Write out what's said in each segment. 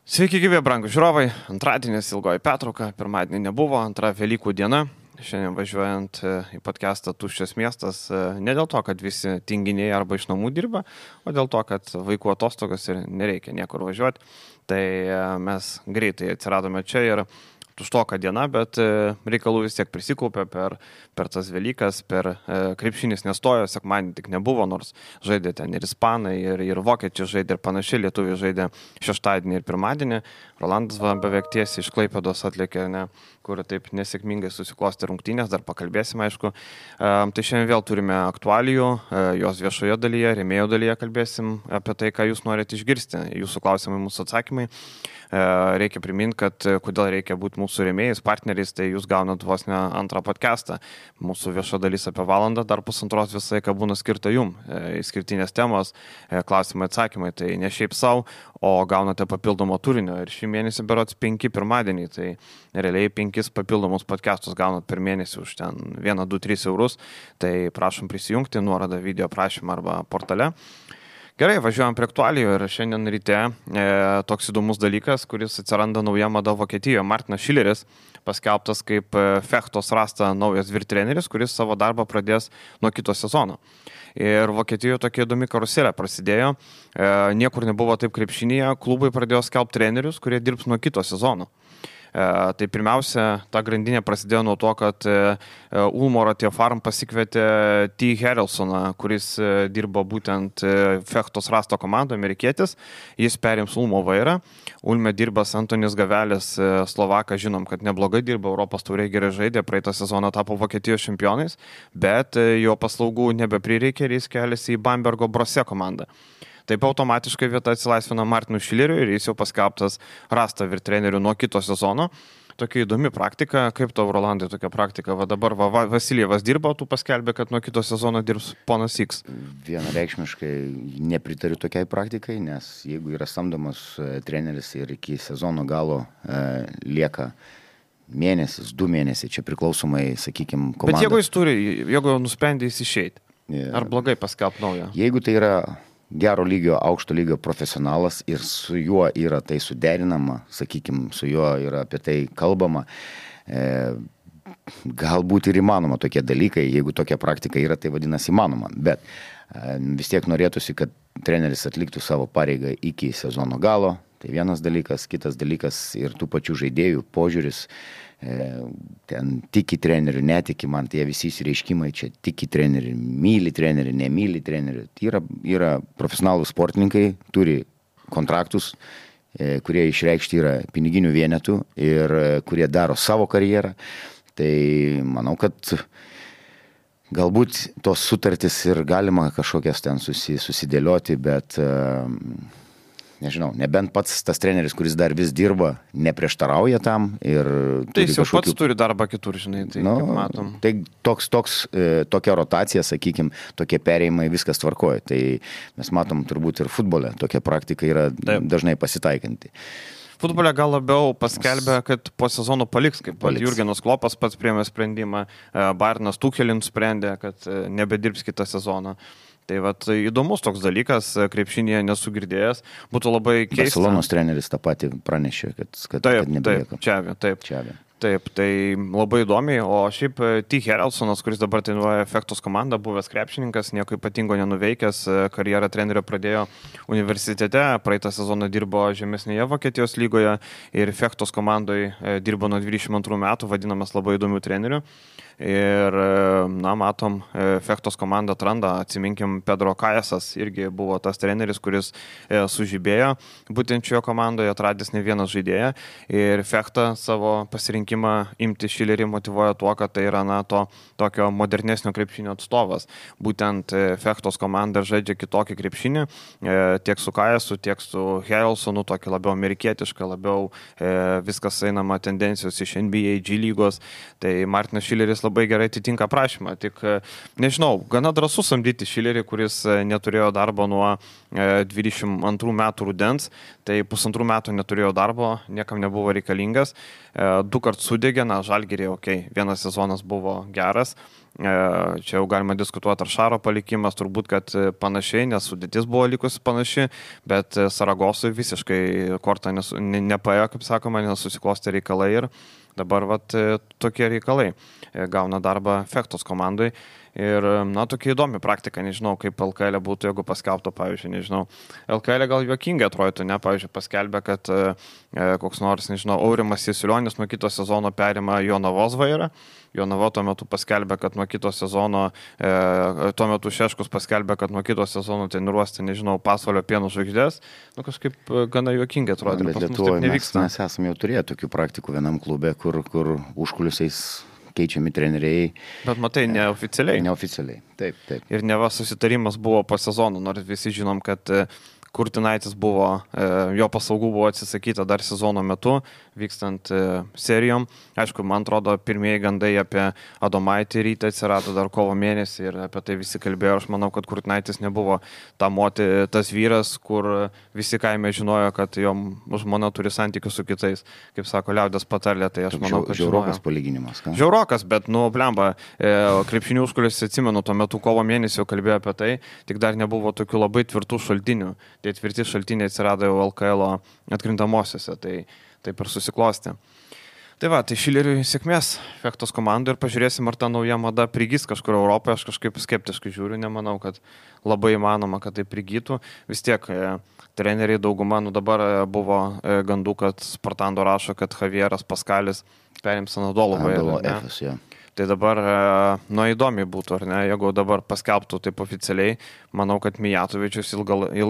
Sveiki, gyvi, brangūs žiūrovai. Antradienis ilgoji pertrauka, pirmadienį nebuvo, antra Velykų diena. Šiandien važiuojant į podcastą Tuščias miestas, ne dėl to, kad visi tinginiai arba iš namų dirba, o dėl to, kad vaikų atostogas ir nereikia niekur važiuoti. Tai mes greitai atsiradome čia ir tuštoka diena, bet reikalų vis tiek prisikaupė per tas Velykas, per krepšinis nestojo, sekmadienį tik nebuvo, nors žaidė ten ir ispanai, ir vokiečiai žaidė, ir panašiai, lietuviai žaidė šeštadienį ir pirmadienį. Rolandas beveik tiesiai iš Klaipėdos atlėkė, kur taip nesėkmingai susiklosti rungtynės, dar pakalbėsime, aišku. Tai šiandien vėl turime aktualijų, jos viešoje dalyje, rėmėjo dalyje kalbėsim apie tai, ką jūs norite išgirsti, jūsų klausimai, mūsų atsakymai. Reikia priminti, kad kodėl reikia būti mūsų rėmėjais, partneriais, tai jūs gaunat vos ne antrą podcastą. Mūsų vieša dalis apie valandą, dar pusantros visą laiką būna skirta jum. Skirtinės temos, klausimai, atsakymai, tai ne šiaip savo, o gaunate papildomo turinio. Ir šį mėnesį berods 5 pirmadienį, tai realiai 5 papildomus podcastus gaunat per mėnesį už ten 1, 2, 3 eurus. Tai prašom prisijungti, nuorodą video prašymą arba portale. Gerai, važiuojam prie aktualijų ir šiandien ryte toks įdomus dalykas, kuris atsiranda nauja mada Vokietijoje. Martinas Šileris paskelbtas kaip Fechtos Rasta naujas vyrtreneris, kuris savo darbą pradės nuo kito sezono. Ir Vokietijoje tokia įdomi karuselė prasidėjo. Niekur nebuvo taip krepšinyje, klubai pradėjo skelbti trenerius, kurie dirbs nuo kito sezono. Tai pirmiausia, ta grandinė prasidėjo nuo to, kad Ulmo Ratio Farm pasikvietė T. Harrelsoną, kuris dirbo būtent Fechtos Rasto komandoje, amerikietis. Jis perims Ulmo vairą. Ulme dirbas Antonis Gavelis, Slovakas, žinom, kad neblogai dirba, Europos taurėje gerai žaidė, praeitą sezoną tapo Vokietijos čempionais, bet jo paslaugų nebeprireikė ir jis keliasi į Bambergo Brose komandą. Taip automatiškai vieta atsilaisvina Martinui Šileriui ir jis jau paskelbtas Rasta vyrtreneriu nuo kito sezono. Tokia įdomi praktika. Kaip tau, Rolandai, tokia praktika? Va dabar Vasiljevas dirba, tu paskelbė, kad nuo kito sezono dirbs ponas X. Vienareikšmiškai nepritariu tokiai praktikai, nes jeigu yra samdomas treneris ir iki sezono galo lieka mėnesis, 2 mėnesiai, čia priklausomai, sakykime, komanda. Bet jeigu nusprendė jis išeiti, ar blogai paskelbti naują? Jeigu tai yra gero lygio, aukšto lygio profesionalas ir su juo yra tai suderinama, sakykime, su juo yra apie tai kalbama, galbūt ir įmanoma tokie dalykai, jeigu tokia praktika yra, tai vadinasi įmanoma, bet vis tiek norėtųsi, kad treneris atliktų savo pareigą iki sezono galo, tai vienas dalykas, kitas dalykas ir tų pačių žaidėjų požiūris, ten tiki trenerių, netiki, man tie visi įsireiškimai čia tiki trenerių, myli trenerių, nemyli trenerių. Tai yra profesionalų sportininkai, turi kontraktus, kurie išreikšti yra piniginių vienetų ir kurie daro savo karjerą. Tai manau, kad galbūt tos sutartys ir galima kažkokias ten susidėlioti, bet nežinau, nebent pats tas treneris, kuris dar vis dirba, neprieštarauja tam ir... Tai jis jau pats turi darbą kitur, žinai, tai kaip matom. Tai tokia rotacija, sakykime, tokie perėjimai, viskas tvarkoja. Tai mes matom turbūt ir futbole, tokia praktika yra dažnai pasitaikanti. Futbole gal labiau paskelbė, kad po sezono paliks, kaip Jurgenas Klopas pats priėmė sprendimą, Bayernas Tuchelin sprendė, kad nebedirbs kitą sezoną. Tai vat įdomus toks dalykas, krepšinėje nesu girdėjęs, būtų labai keista. Barcelonos treneris tą patį pranešė, kad nebelieka. Taip, tai labai įdomiai, o šiaip T. Harrelsonas, kuris dabar treniruoja Fechtos komandą, buvęs krepšininkas, nieko ypatingo nenuveikęs, karjerą trenerio pradėjo universitete, praeitą sezoną dirbo žemesnėje Vokietijos lygoje ir Fechtos komandoje dirbo nuo 22 metų, vadinamas labai įdomių trenerių. Ir, matom, Fechtos komandą atranda, atsiminkim, Pedro Kajasas irgi buvo tas treneris, kuris sužibėjo būtent šioje komandoje, atradęs ne vieną žaidėją ir Fechtą savo pasirinkimą imti Šilerį motyvuoja tuo, kad tai yra, tokio modernesnio krepšinio atstovas. Būtent Fechtos komanda žaidžia kitokį krepšinį, tiek su Kajasu, tiek su Harrelsonu, tokį labiau amerikietišką, labiau viskas einama tendencijos iš NBA, G lygos, tai Martinas Šileris labai gerai atitinka prašymą, tik nežinau, gana drąsu samdyti Šilerį, kuris neturėjo darbo nuo 22 metų rudens, tai 1,5 metų neturėjo darbo, niekam nebuvo reikalingas, 2 kartus sudegė, Žalgirį, vienas sezonas buvo geras, Čia jau galima diskutuoti, ar Šaro palikimas, turbūt, kad panašiai, nes sudėtis buvo likusi panaši, bet Saragosui visiškai kortą nepaėjo, kaip sakoma, nesusiklostė reikalai ir dabar tokie reikalai gauna darbą Fektos komandai. Ir, tokia įdomi praktika, nežinau, kaip LKL būtų, jeigu paskelbtų, pavyzdžiui, nežinau, LKL gal juokingai atrodytų, ne, pavyzdžiui, paskelbė, kad koks nors, nežinau, Aurimas Jasulionis nuo kito sezono perima Jonavos vairą, Jonava tuo metu paskelbė, kad nuo kito sezono, tuo metu Šeškus paskelbė, kad nuo kito sezono treniruosi, nežinau, Pasvalio Pieno žvaigždės, kažkaip gana juokingai atrodo, bet Lietuvoje mes esame jau turėję tokių praktikų vienam klube, kur užkulisiais keičiami treneriai. Bet matai, neoficialiai. Neoficialiai, taip. Ir neva susitarimas buvo po sezono, nors visi žinom, kad Kurtinaitis buvo, jo paslaugų buvo atsisakyta dar sezono metu, vykstant serijom. Aišku, man atrodo, pirmieji gandai apie Adomaitį rytą atsirado dar kovo mėnesį ir apie tai visi kalbėjo. Aš manau, kad Kurtinaitis nebuvo tas vyras, kur visi kaime žinojo, kad jo žmona turi santykius su kitais. Kaip sako liaudės patarlė, tai aš manau, kad žiaurokas palyginimas. Ką? Žiaurokas, bet, blemba, krepšinių užkulis, atsimenu, tuo metu kovo mėnesį jau kalbėjo apie tai, tik dar nebuvo tokių labai tvirtų šaltinių. Tie tvirti šaltiniai atsirado jau LKL atkrintamosiose, tai taip ir susiklostė. Tai tai Šileriui sėkmės Fektos komandai ir pažiūrėsim, ar ta nauja mada prigys kažkur Europoje. Aš kažkaip skeptiškai žiūriu, nemanau, kad labai įmanoma, kad tai prigytų. Vis tiek treneriai dauguma, dabar buvo gandų, kad Spartando rašo, kad Javieras Paskalis perims Anadolo vairą. Tai dabar, įdomiai būtų, ar ne, jeigu dabar paskelbtų taip oficialiai, manau, kad Mijatovičius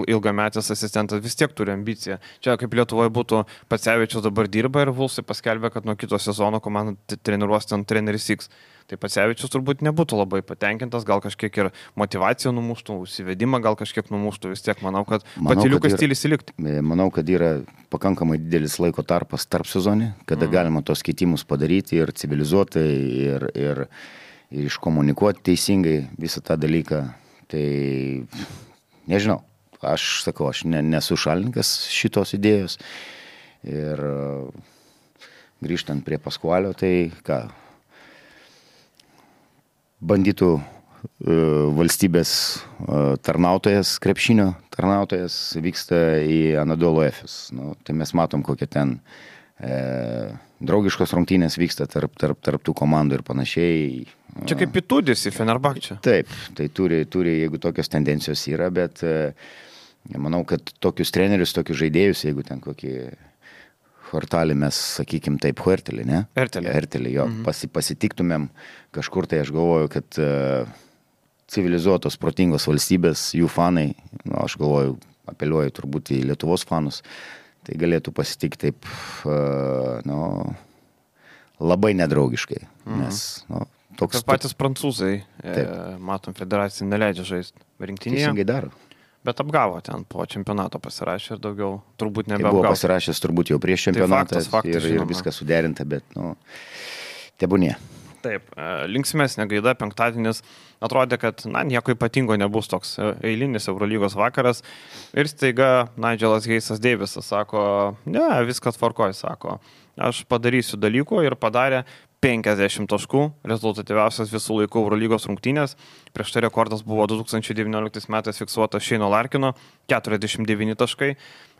ilgametis asistentas vis tiek turi ambiciją. Čia kaip Lietuvoje būtų, Pacevičius dabar dirba ir Vulsai paskelbė, kad nuo kito sezono komanda treniruos ten treneris X. Tai Pacevičius turbūt nebūtų labai patenkintas, gal kažkiek ir motivaciją numuštų, užsivedimą gal kažkiek numuštų, vis tiek manau, kad patyliukas stilius įlikti. Manau, kad yra pakankamai didelis laiko tarpas tarp sezonį, kada galima tos keitimus padaryti ir civilizuotai, ir iškomunikuoti teisingai visą tą dalyką. Tai nežinau, aš sakau, aš nesu šalininkas šitos idėjos. Ir grįžtant prie Paskualio, tai ką? Bandytų valstybės tarnautojas, krepšinio tarnautojas vyksta į Anadolo Efes. Tai mes matom, kokie ten draugiškos rungtynės vyksta tarp tų komandų ir panašiai. Čia kaip Pitudis į Fenerbahčę. Taip, tai turi, jeigu tokios tendencijos yra, bet manau, kad tokius trenerius, tokius žaidėjus, jeigu ten kokį Hortalį mes, sakykim, taip, Huertelį, ne? Hertelį, jo, pasitiktumėm kažkur, tai aš galvoju, kad civilizuotos, protingos valstybės, jų fanai, aš galvoju, apeliuoju turbūt į Lietuvos fanus, tai galėtų pasitikti taip, labai nedraugiškai, nes, toks... Tas patys prancūzai, matom, federacija neleidžia žaisti rinktinėje. Teisingai daro. Bet apgavo ten po čempionato pasirašė ir daugiau turbūt nebeapgavo. Tai buvo pasirašęs turbūt jau prieš čempionatą faktas, ir viskas suderinta, bet, tebūnie. Taip, linksmesnė gaida, penktadienis atrodė, kad, nieko ypatingo nebus, toks eilinis Eurolygos vakaras ir staiga Nigelas Hayesas Davisas sako, ne, viskas tvarkoj, sako, aš padarysiu dalykų ir padarė 50 taškų, rezultatyviausias visų laikų Eurolygos rungtynės. Prieš tai rekordas buvo 2019 metais fiksuotas Shane'o Larkino, 49 taškai.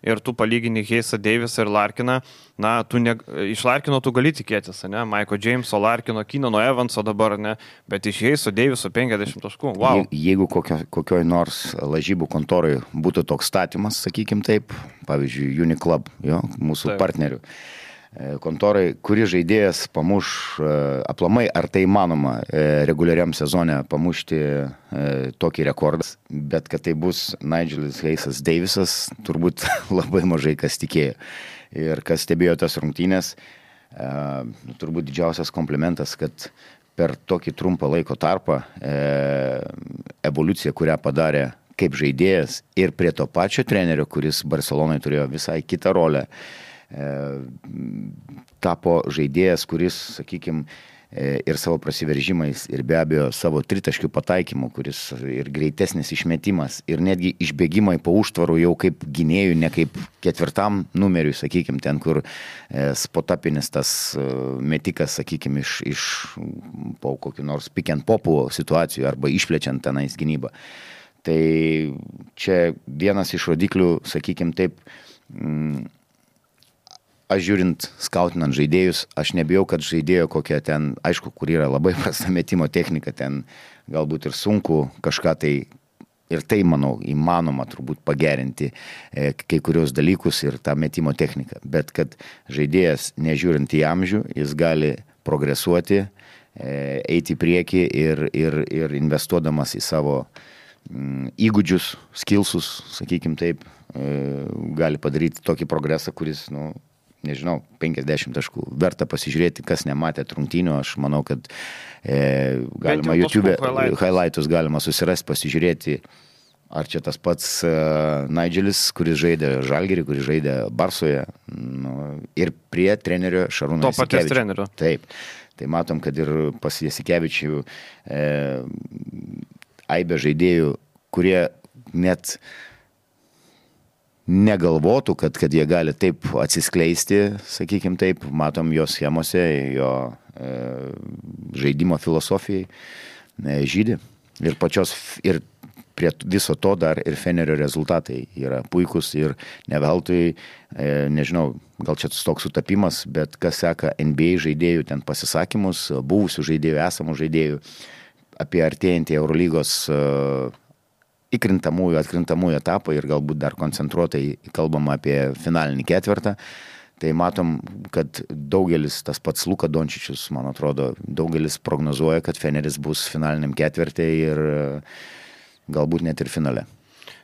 Ir tu palygini Hayesą Davisą ir Larkiną, iš Larkino tu gali tikėtis, ne? Michael Jameso, Larkino, Keenano Evanso dabar, ne? Bet iš Hayeso Daviso 50 taškų, wow. Jeigu kokioj nors lažybų kontoroj būtų toks statymas, sakykim taip, pavyzdžiui, Uniclub, mūsų partnerių, kontorai, kuri žaidėjas pamuš aplamai, ar tai įmanoma reguliariam sezone pamušti tokį rekordą, bet kad tai bus Nigelas Hayesas Davisas, turbūt labai mažai kas tikėjo. Ir kas stebėjo tas rungtynės, turbūt didžiausias komplimentas, kad per tokį trumpą laiko tarpą evoliucija, kurią padarė kaip žaidėjas ir prie to pačio trenerio, kuris Barcelonai turėjo visai kitą rolę, tapo žaidėjas, kuris, sakykime, ir savo prasiveržimais, ir be abejo savo tritaškių pataikymu, kuris ir greitesnis išmetimas, ir netgi išbėgimai po užtvarų jau kaip gynėjų, ne kaip ketvirtam numeriui, sakykime, ten, kur spotapinis tas metikas, sakykime, iš po kokių nors pick and popų situacijų arba išplečiant tenais gynybą. Tai čia vienas iš rodiklių, sakykime taip, aš žiūrint, skautinant žaidėjus, aš nebijau, kad žaidėjo kokia ten, aišku, kur yra labai prasta metimo technika, ten galbūt ir sunku kažką tai, ir tai, manau, įmanoma turbūt pagerinti kai kurios dalykus ir tą metimo techniką. Bet kad žaidėjas, nežiūrint į amžių, jis gali progresuoti, eiti į priekį ir investuodamas į savo įgūdžius, skillsus, sakykime taip, gali padaryti tokį progresą, kuris, nežinau, 50 taškų. Verta pasižiūrėti, kas nematė rungtynių. Aš manau, kad galima YouTube highlightus galima susirasti, pasižiūrėti, ar čia tas pats Nigelis, kuris žaidė Žalgirį, kuris žaidė Barsoje, ir prie trenerio Šarūno Jasikevičiaus. To paties trenerio. Taip. Tai matom, kad ir pas Jasikevičių aibė žaidėjų, kurie net negalvotų, kad jie gali taip atsiskleisti, sakykime taip, matom jo schemose, jo žaidimo filosofijai žydi. Ir prie viso to dar ir Fenerio rezultatai yra puikus ir ne veltui, nežinau, gal čia toks sutapimas, bet kas seka NBA žaidėjų ten pasisakymus, buvusių žaidėjų, esamų žaidėjų apie artėjantį Eurolygos atkrintamųjų etapą ir galbūt dar koncentruotai kalbama apie finalinį ketvirtą, tai matom, kad daugelis, tas pats Luka Dončičius, man atrodo, daugelis prognozuoja, kad Feneris bus finaliniam ketvirtį ir galbūt net ir finale.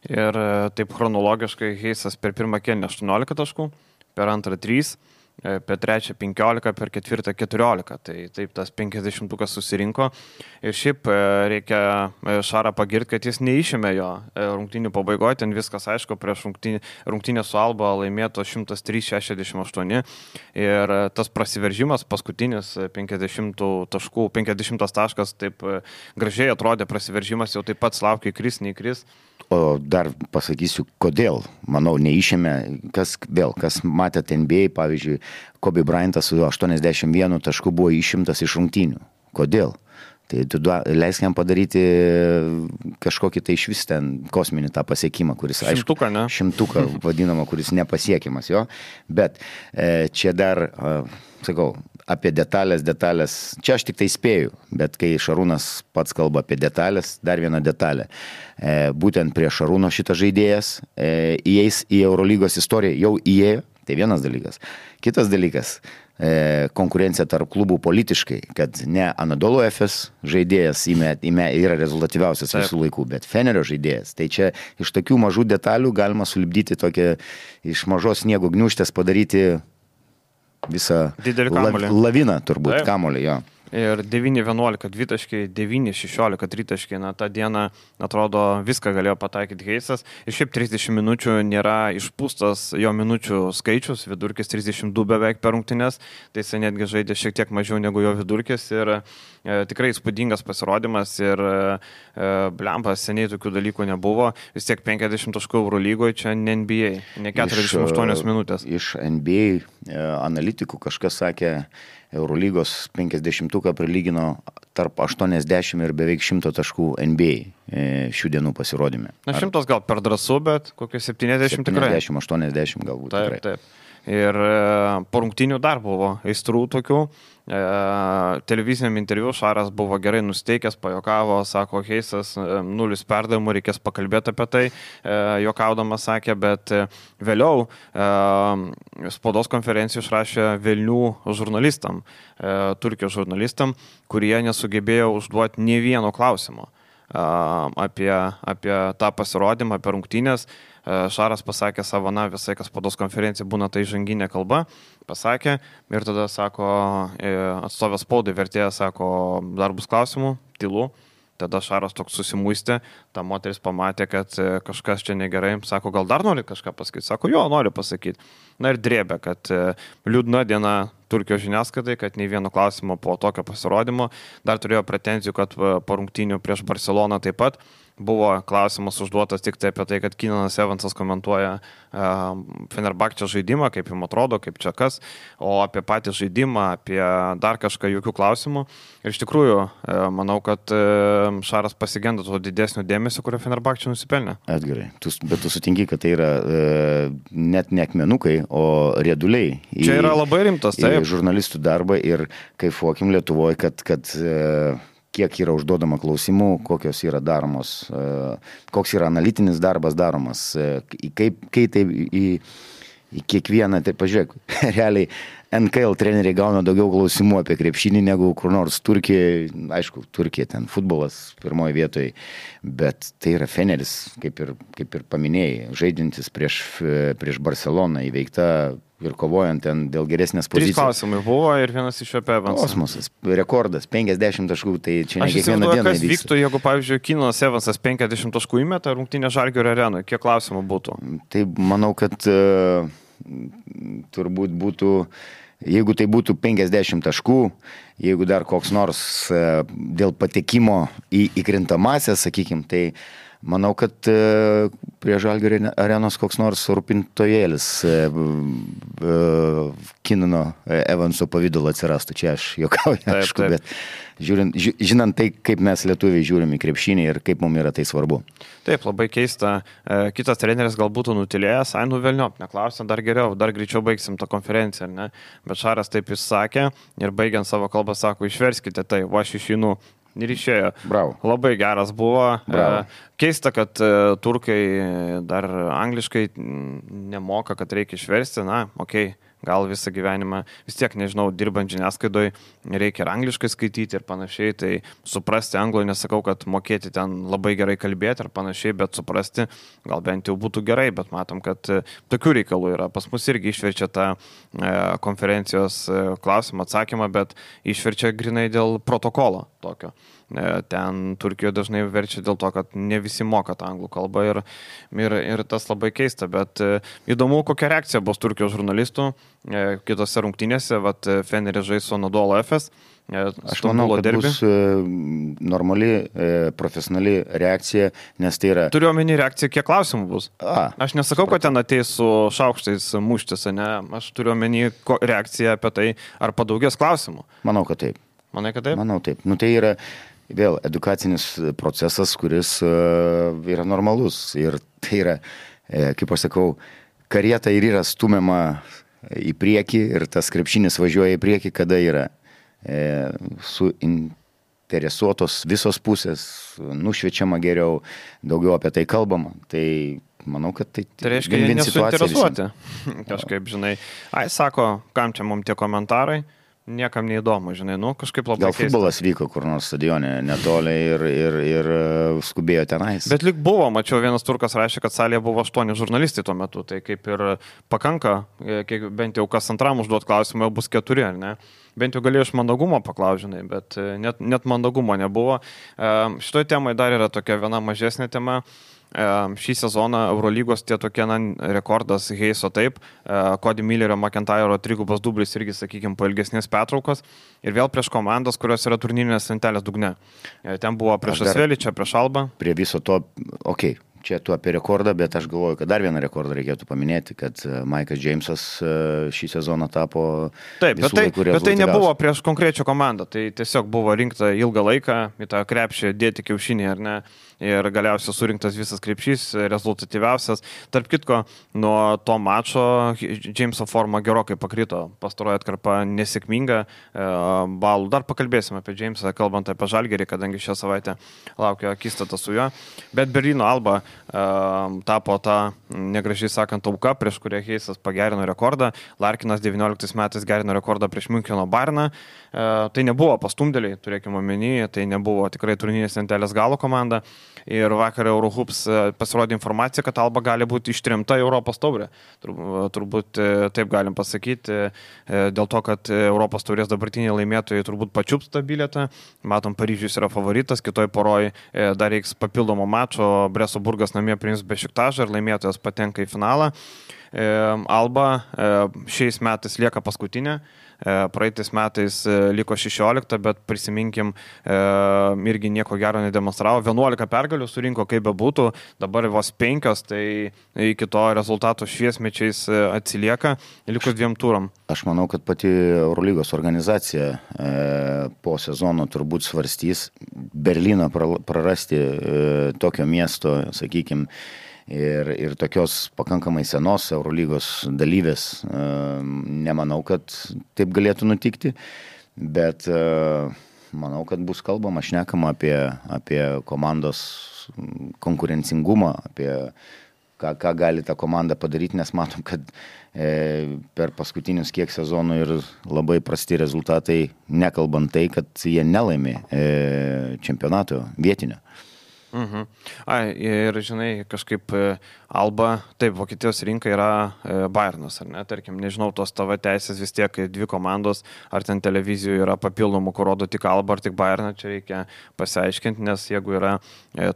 Ir taip chronologiškai Heisas per pirmą kėlinį 18 taškų, per antrą 3, per trečią 15, per ketvirtą 14. Tai taip tas 50-ukas susirinko. Ir šiaip reikia Šarą pagirti, kad jis neišėmė jo rungtynių pabaigoje. Ten viskas aišku, prieš rungtynę su Alba laimėto 103-68. Ir tas prasiveržimas, paskutinis 50 taškų, 50 taškas, taip gražiai atrodė prasiveržimas, jau taip pat laukia įkris, neįkris. O dar pasakysiu, kodėl, manau, neišėmė, kas matėte NBA, pavyzdžiui, Kobe Bryantas su 81 tašku buvo išimtas iš rungtynių. Kodėl? Tai tu leisk jam padaryti kažkokį tai išvis ten kosminį tą pasiekimą, kuris, aišku, šimtuką vadinama, kuris nepasiekiamas jo, bet čia dar, sakau, apie detalės, čia aš tik tai spėju, bet kai Šarūnas pats kalba apie detalės, dar viena detalė. Būtent prie Šarūno šitas žaidėjas įeis į Eurolygos istoriją, jau įėjo, tai vienas dalykas. Kitas dalykas, konkurencija tarp klubų politiškai, kad ne Anadolu Efes žaidėjas yra rezultatyviausias visų laikų, bet Fenerio žaidėjas. Tai čia iš tokių mažų detalių galima sulipdyti tokią iš mažos sniego gniūžtės padaryti visą laviną turbūt kamolį, jo. Ir 9-11 dvitaškiai, 9-16 tritaškiai, tą dieną, atrodo, viską galėjo pataikyti Heisas. Ir šiaip 30 minučių nėra išpūstas jo minučių skaičius, vidurkis 32 beveik per rungtynes, tai jis netgi žaidė šiek tiek mažiau negu jo vidurkis ir tikrai įspūdingas pasirodymas ir blempas, seniai tokių dalykų nebuvo, vis tiek 50 taškų Eurolygoje, čia ne NBA, ne 48 minutės. Iš NBA analitikų kažkas sakė, Eurolygos 50-uką prilygino tarp 80 ir beveik 100 taškų NBA šių dienų pasirodyme. Na 100 gal per drąsu, bet kokie 70 tikrai. 70-80 galbūt. Taip, tikrai. Taip. Ir po rungtynių dar buvo aistrų tokių. Televiziniam interviu Šaras buvo gerai nusteikęs, pajokavo, sako, Heisas 0 perdavimų, reikės pakalbėti apie tai, jokaudamas sakė, bet vėliau spaudos konferencijų išrašė velnių žurnalistam, Turkijos žurnalistam, kurie nesugebėjo užduoti nė vieno klausimo apie tą pasirodymą, apie rungtynės. Šaras pasakė savo, visai, kas spaudos konferencija būna tai žanginė kalba, pasakė ir tada sako, atstovės spaudai vertėjas sako, dar bus klausimų, tylu. Tada Šaras toks susimuistė, ta moteris pamatė, kad kažkas čia negerai, sako, gal dar nori kažką pasakyti, sako, jo, noriu pasakyti. Na ir drėbė, kad liūdna diena Turkijos žiniasklaidai, kad nei vieno klausimo po tokio pasirodymo. Dar turėjo pretenzijų, kad po rungtynių prieš Barceloną taip pat buvo klausimas užduotas tik tai apie tai, kad Keenanas Evansas komentuoja Fenerbahčio žaidimą, kaip jums atrodo, kaip čia kas, o apie patį žaidimą, apie dar kažką jokių klausimų. Ir iš tikrųjų, manau, kad Šaras pasigenda to didesnio dėmesio, kurio Fenerbahčio nusipelnė. Edgarai, bet tu sutinki, kad tai yra net ne akmenukai, o rieduliai. Čia yra labai rimtas, taip. Žurnalistų darbą ir kaifuokim Lietuvoje, kad kiek yra užduodama klausimų, kokios yra daromos, koks yra analitinis darbas daromas, kai tai į kiekvieną, tai pažiūrėk, realiai NKL treneriai gauna daugiau klausimų apie krepšinį negu kur nors Turkijoje, aišku, Turkija ten futbolas pirmoje vietoje, bet tai yra Feneris, kaip ir paminėjai, žaidintis prieš Barceloną įveikta ir kovojant ten dėl geresnės pozicijos. 3 klausimai buvo ir vienas iš apie Evansą. Kosmosas, rekordas, 50 taškų, tai čia ne kiekvieną dieną. Aš įsivaizduoju, kas vyktų, jeigu, pavyzdžiui, Keenanas Evansas 50 taškų įmeta rungtynė Žalgirio arenoje. Kiek klausimų būtų? Tai manau, kad turbūt būtų, jeigu tai būtų 50 taškų, jeigu dar koks nors dėl patekimo į krintamąsias, sakykim, tai manau, kad prie Žalgirio arenos koks nors rūpintojėlis Keenano Evanso pavidalo atsirastų. Čia aš juokauju, aišku, bet žinant tai, kaip mes lietuviai žiūrim į krepšinį ir kaip mums yra tai svarbu. Taip, labai keista. Kitas treneris gal būtų nutilėjęs, velniop, neklausia, dar geriau, dar greičiau baigsim tą konferenciją, ne? Bet Šaras taip jis sakė ir baigiant savo kalbą sako, išverskite tai, aš išeinu. Ir išėjo. Bravo. Labai geras buvo. Bravo. Keista, kad turkai dar angliškai nemoka, kad reikia išversti. Na, okei, gal visą gyvenimą, vis tiek, nežinau, dirbant žiniasklaidoje reikia ir angliškai skaityti ir panašiai. Tai suprasti anglų, nesakau, kad mokėti ten labai gerai kalbėti ir panašiai, bet suprasti gal bent jau būtų gerai. Bet matom, kad tokių reikalų yra. Pas mus irgi išverčia tą konferencijos klausimą, atsakymą, bet išverčia grinai dėl protokolo tokio. Ten Turkijoje dažnai verčia dėl to, kad ne visi moka tą anglų kalbą ir tas labai keista, bet įdomu, kokia reakcija bus Turkijos žurnalistų kitose rungtynėse, Feneris žais su Anadolu Efes. Aš manau, kad bus normali, profesionali reakcija, nes tai yra... Turiu omeny reakciją, kiek klausimų bus. Aš nesakau, kad ten ateis su šaukštais muštis, ne? Aš turiu omeny reakciją apie tai, ar padaugės klausimų. Manau, kad taip. Manai, kad taip? Manau, taip. Tai yra vėl edukacinis procesas, kuris yra normalus. Ir tai yra, kaip aš sakau, karieta ir yra stumiama į priekį ir tas krepšinis važiuoja į priekį, kada yra suinteresuotos visos pusės, nušviečiama geriau, daugiau apie tai kalbama. Tai manau, kad tai reiškia, jie nesuinteresuoti. Kažkaip, žinai, sako, kam čia mums tie komentarai? Niekam neįdomu, žinai, kažkaip labai gal keista. Futbolas vyko kur nors stadione netoli ir skubėjo tenais. Bet lyg buvo, mačiau, vienas turkas rašė, kad salėje buvo 8 žurnalistai tuo metu, tai kaip ir pakanka, bent jau kas antram užduot klausimą, jau bus 4, ar ne? Bent jau galėjau iš mandagumo paklaužinai, bet net mandagumo nebuvo. Šitoj temai dar yra tokia viena mažesnė tema. Šį sezoną Eurolygos tie tokie rekordas Heiso taip, Cody Millerio, McIntyre'o trigubas dublis irgi, sakykime, po ilgesnės pertraukos ir vėl prieš komandas, kurios yra turnyrinės lentelės dugne. Ten buvo prieš Asvelį, čia prieš Albą. Prie viso to, čia tu apie rekordą, bet aš galvoju, kad dar vieną rekordą reikėtų paminėti, kad Maikas Džeimsas šį sezoną tapo visų laikų rezultatyviausiu. Bet tai nebuvo prieš konkrečią komandą, tai tiesiog buvo rinkta ilgą laiką į tą krepšį dėti kiaušinį, ar ne? Ir galiausiai surinktas visas krepšys, rezultatyviausias. Tarp kitko, nuo to mačo Džeimso forma gerokai pakrito, pastaroji atkarpa nesėkminga balų. Dar pakalbėsime apie Džeimsą, kalbant apie Žalgirį, kadangi šią savaitę laukia akistata su juo. Bet Berlyno Alba tapo tą, negražiai sakant, auka, prieš kurią Heisas pagerino rekordą. Larkinas 19 metais gerino rekordą prieš Müncheno Bayerną. Tai nebuvo pastumdėliai, turėkime omeny, tai nebuvo tikrai turnyrinės lentelės galo komanda. Ir vakar Eurohoops pasirodė informacija, kad Alba gali būti ištremta į Europos taurę. Turbūt taip galim pasakyti, dėl to, kad Europos taurės dabartiniai laimėtojai turbūt pačiups tą bilietą. Matom, Paryžius yra favoritas, kitoj poroj dar reiks papildomo mačo, Breso Burgas namie priims Bešiktašą ir laimėtojas patenka į finalą. Alba šiais metais lieka paskutinė. Praeitais metais liko 16, bet prisiminkim, irgi nieko gero nedemonstravo. 11 pergalių surinko, kaip bebūtų, dabar vos 5, tai iki to rezultato šviesmečiais atsilieka, likus 2 turam. Aš manau, kad pati Eurolygos organizacija po sezono turbūt svarstys Berlyną prarasti tokio miesto, sakykime, ir tokios pakankamai senos Eurolygos dalyvės. Nemanau, kad taip galėtų nutikti, bet manau, kad bus kalbama, šnekama apie komandos konkurencingumą, apie ką gali ta komanda padaryti, nes matom, kad per paskutinius kiek sezonų ir labai prasti rezultatai, nekalbant tai, kad jie nelaimė čempionato vietinio. Ir žinai, kažkaip Alba, taip, Vokietijos rinka yra Bayernas, ar ne, tarkim, nežinau, tos TV teisės vis tiek 2 komandos, ar ten televizijų yra papildomų, kur rodo tik Alba ar tik Bayerną, čia reikia pasiaiškinti, nes jeigu yra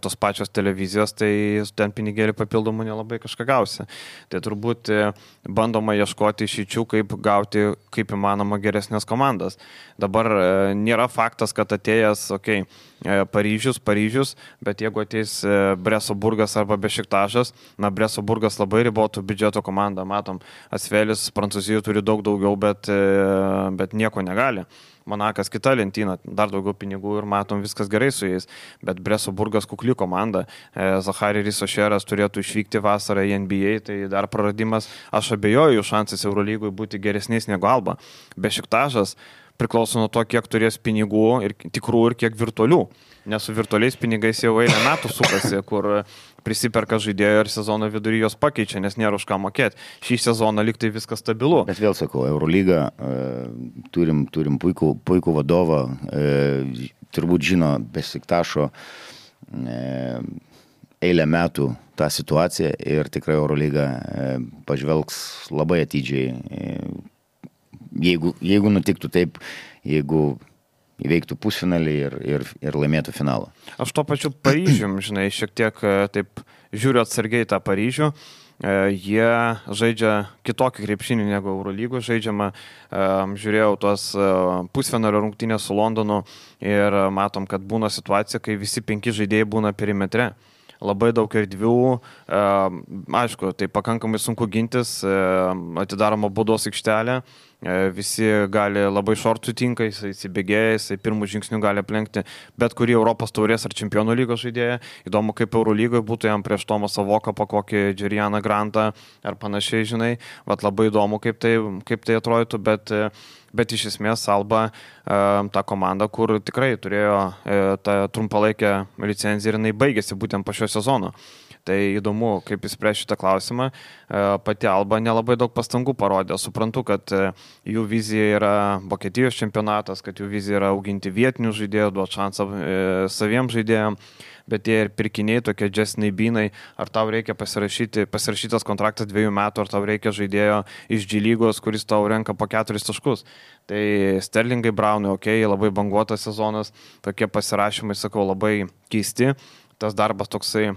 tos pačios televizijos, tai ten pinigėlį papildomų nelabai kažką gausi. Tai turbūt bandoma ieškoti išeičių, kaip gauti kaip įmanoma geresnės komandas. Dabar nėra faktas, kad atėjęs, Paryžius, bet jeigu ateis Breso Burgas arba Bešiktašas, Breso Burgas labai ribotų biudžeto komandą, matom, Asvelis Prancūzijoje turi daug daugiau, bet nieko negali. Monakas kita lentyna, dar daugiau pinigų ir matom, viskas gerai su jais, bet Breso Burgas kukli komanda, Zachary Risošeras turėtų išvykti vasarą į NBA, tai dar praradimas, aš abejoju jų šansais Eurolygui būti geresniais negu Alba. Bešiktašas priklauso nuo to, kiek turės pinigų ir tikrų ir kiek virtualių. Nes su virtualiais pinigais jau eilę metų sukasi, kur prisiperka žaidėjų ir sezono vidury jos pakeičia, nes nėra už ką mokėti. Šį sezoną lyg tai viskas stabilu. Bet vėl sakau, Eurolyga, turim puikų vadovą, turbūt žino Bešiktašo eilę metų tą situaciją ir tikrai Eurolyga pažvelgs labai atidžiai. Jeigu nutiktų taip, jeigu įveiktų pusfinalį ir laimėtų finalą. Aš to pačiu Paryžium, žinai, šiek tiek taip žiūriu atsargiai tą Paryžių. Jie žaidžia kitokį krepšinį negu Eurolygų žaidžiama. Žiūrėjau tos pusfinalio rungtynės su Londonu ir matom, kad būna situacija, kai visi 5 žaidėjai būna perimetre. Labai daug erdvių, aišku, tai pakankamai sunku gintis, atidaroma baudos aikštelė, visi gali labai šortų tinka, jis įsibėgėja, jis pirmų žingsnių gali aplenkti bet kurį Europos taurės ar čempionų lygos žaidėją. Įdomu, kaip Eurolygoje būtų jam prieš Tomą Savokapą, kokį Džerianą Grantą ar panašiai, žinai. Vat labai įdomu, kaip tai atrodytų, bet iš esmės Alba ta komanda, kur tikrai turėjo tą trumpalaikę licenciją ir jinai baigėsi būtent po šio sezono. Tai įdomu, kaip įspręs šitą klausimą. Pati Alba nelabai daug pastangų parodė. Suprantu, kad jų vizija yra Vokietijos čempionatas, kad jų vizija yra auginti vietinių žaidėjų, duoti šansą saviems žaidėjams. Bet tie ir pirkiniai, tokie Justinai Beanai, ar tau reikia pasirašytas kontraktas 2 metų, ar tau reikia žaidėjo iš G lygos, kuris tau renka po 4 taškus. Tai Sterlingai Brownai, labai banguotas sezonas, tokie pasirašymai, sakau, labai keisti. Tas darbas toksai,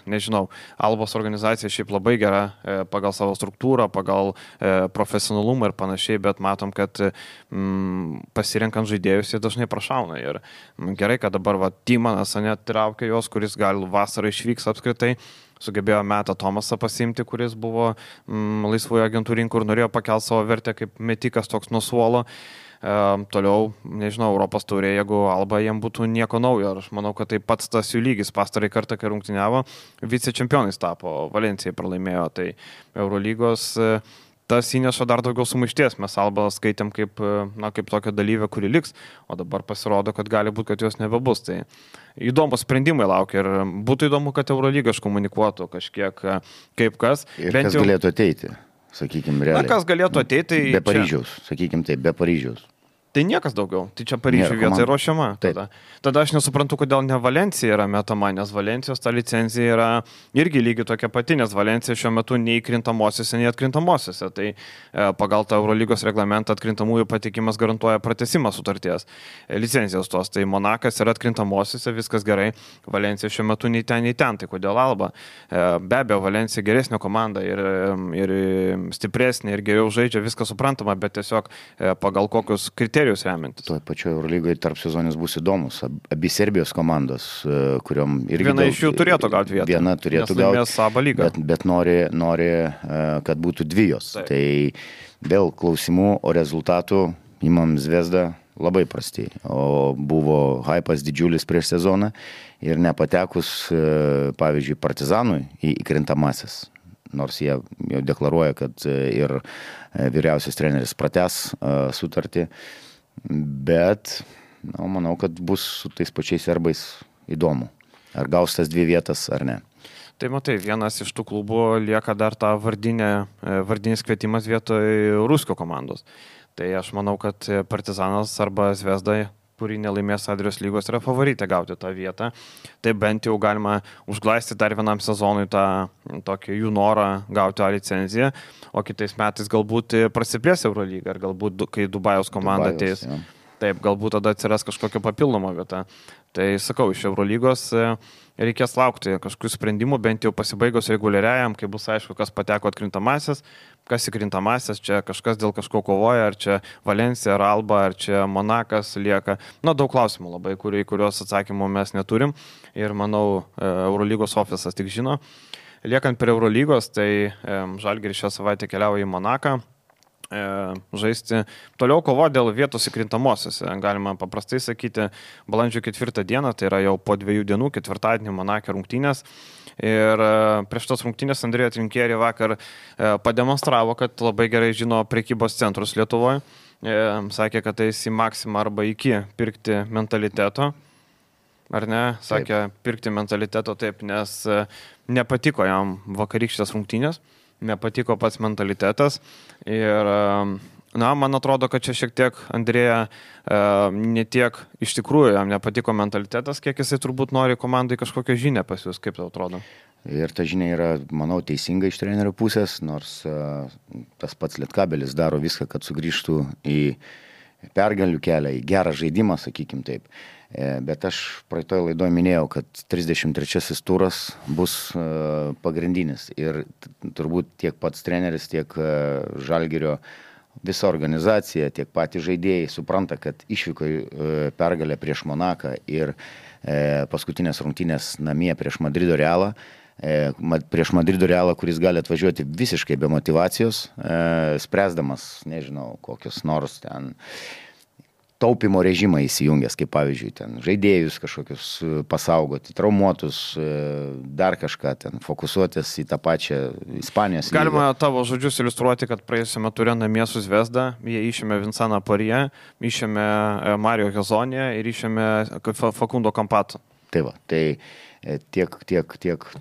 nežinau, Albos organizacija šiaip labai gera pagal savo struktūrą, pagal profesionalumą ir panašiai, bet matom, kad pasirenkant žaidėjus jie dažnai prašauna. Ir gerai, kad dabar Timanas net traukia jos, kuris gal vasarą išvyks apskritai, sugebėjo Metą Tomasą pasiimti, kuris buvo laisvųjų agentų rinkų ir norėjo pakelti savo vertę kaip metikas toks nuo suolo. Toliau, nežinau, Europos taurė, jeigu Alba jiem būtų nieko naujo. Aš manau, kad tai pats tas jų lygis. Pastarąjį kartą, kai rungtyniavo, vicečempionais tapo, Valencijai pralaimėjo. Tai Eurolygos tas įneša dar daugiau sumaišties. Mes Albą skaitėm kaip tokią dalyvę, kuri liks, o dabar pasirodo, kad gali būti, kad jos nebebus. Tai įdomus sprendimai laukia ir būtų įdomu, kad Eurolyga iškomunikuotų kažkiek kaip kas. Ir kas galėtų ateiti. Sakykime, realiai. Kas galėtų ateiti, tai... Be Paryžiaus, sakykime taip, be Paryžiaus. Tai niekas daugiau. Tai čia Paryžiuje vieta ruošiama. Tada aš nesuprantu, kodėl ne Valencija yra metama, nes Valencijos ta licencija yra irgi lygiai tokia pati, nes Valencija šiuo metu nei krintamosiose, nei atkrintamosiose. Tai pagal tą Eurolygos reglamentą atkrintamųjų patikimas garantuoja pratesimą sutarties licencijos tos. Tai Monakas yra atkrintamosiose, viskas gerai. Valencija šiuo metu nei ten. Tai kodėl Alba? Be abejo, Valencija geresnė komanda ir stipresnė ir geriau žaidžia, viskas suprantama, bet tiesiog pagal kokius kriterijus remiantis. Toje pačioje Eurolygoje tarp sezonis bus įdomus. Abi Serbijos komandos, kuriuom irgi... Viena iš jų turėtų gauti vietą. Viena turėtų gauti, bet nori, kad būtų dvijos. Taip. Tai vėl klausimų, o rezultatų imam Zvezdą labai prastai. O buvo hypas didžiulis prieš sezoną ir nepatekus, pavyzdžiui, Partizanui į krintamasis. Nors jie jau deklaruoja, kad ir vyriausias treneris pratęs sutartį. Bet manau, kad bus su tais pačiais serbais įdomu. Ar gaus tas 2 vietas, ar ne. Tai matai, vienas iš tų klubų lieka dar tą vardinis kvietimas vietoj Ruskio komandos. Tai aš manau, kad Partizanas arba Zvezda, kuri nelaimės Adrijos lygos, yra favoritė gauti tą vietą. Tai bent jau galima užglaisti dar vienam sezonui tą tokį jų norą gauti A licenciją, o kitais metais galbūt prasiplės Eurolygą, ar galbūt, kai Dubajaus komanda ateis, taip, galbūt tada atsiras kažkokia papildoma vieta. Tai sakau, iš Eurolygos reikės laukti kažkokių sprendimų, bent jau pasibaigus reguliariajam, kai bus aišku, kas pateko atkrintamasis, kas įkrintamasis, čia kažkas dėl kažko kovoja, ar čia Valencija, ar Alba, ar čia Monakas lieka. Daug klausimų labai, kuriuos atsakymų mes neturim ir manau, Eurolygos ofisas tik žino. Liekant prie Eurolygos, tai Žalgiris šią savaitę keliauja į Monaką žaisti. Toliau kovo dėl vietos įkrintamosiose. Galima paprastai sakyti, balandžio 4 dieną, tai yra jau po 2 dienų, ketvirtadienį Monake rungtynės. Ir prieš tos rungtynės Andrėja Trinkieri vakar pademonstravo, kad labai gerai žino prekybos centrus Lietuvoje. Sakė, kad tai į Maksimą arba iki pirkti mentaliteto. Ar ne? Sakė, pirkti mentaliteto taip, nes nepatiko jam vakarykštės rungtynės. Nepatiko pats mentalitetas ir, man atrodo, kad čia šiek tiek Andrėja ne tiek iš tikrųjų jam nepatiko mentalitetas, kiek jisai turbūt nori komandai kažkokią žinią pasiūs, kaip tau atrodo? Ir ta žinia yra, manau, teisinga iš trenerio pusės, nors tas pats Lietkabelis daro viską, kad sugrįžtų į pergalių kelią, į gerą žaidimą, sakykim taip. Bet aš praeitoje laidoje minėjau, kad 33 turas bus pagrindinis ir turbūt tiek pats treneris, tiek Žalgirio visa organizacija, tiek patys žaidėjai supranta, kad išvyko pergalę prieš Monaką ir paskutinės rungtynės namie prieš Madrido Realą. Prieš Madrido Realą, kuris gali atvažiuoti visiškai be motyvacijos, spręsdamas, nežinau, kokius nors ten taupimo režimą įsijungęs, kaip pavyzdžiui, ten žaidėjus kažkokius pasaugoti, traumuotus, dar kažką ten, fokusuotis į tą pačią Ispanijos lygą. Galima tavo žodžius iliustruoti, kad praėjusiame ture namie su Zvezda, jie išėmė Vinsaną Parie, išėmė Mario Hezonė ir išėmė Facundo Campato. Tai va, tai tiek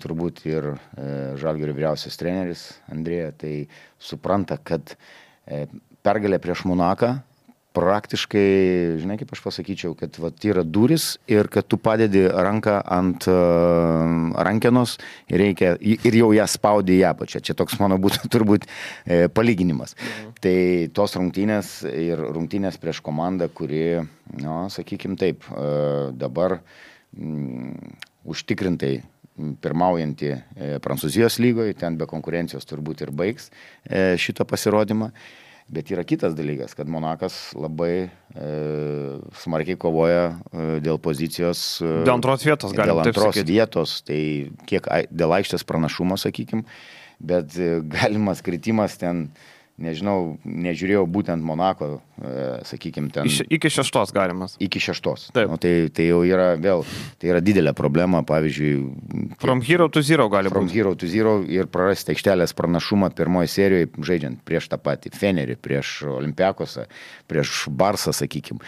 turbūt ir Žalgirio vyriausias treneris Andrėja, tai supranta, kad pergalė prieš Monaką praktiškai, žinai, kaip aš pasakyčiau, kad yra duris ir kad tu padedi ranką ant rankenos ir jau ją spaudi į apačią. Čia toks mano būtų turbūt palyginimas. Tai tos rungtynės ir rungtynės prieš komandą, kuri, sakykim taip, dabar užtikrintai pirmaujanti Prancūzijos lygoje, ten be konkurencijos turbūt ir baigs šitą pasirodymą. Bet yra kitas dalykas, kad Monakas labai smarkiai kovoja dėl pozicijos. Dėl antros vietos, galim taip sakyti. Dėl antros vietos, tai kiek dėl aikštės pranašumo, sakykim, bet galimas kritimas ten, nežinau, nežiūrėjau būtent Monako, sakykim, ten. Iki 6 galimas. Iki 6. Tai jau yra vėl, tai yra didelė problema, pavyzdžiui. From hero to zero gali būti. From hero to zero ir prarasti aikštelės pranašumą pirmoje serijoje, žaidžiant prieš tą patį Fenerį, prieš Olympiakosą, prieš Barsą, sakykim.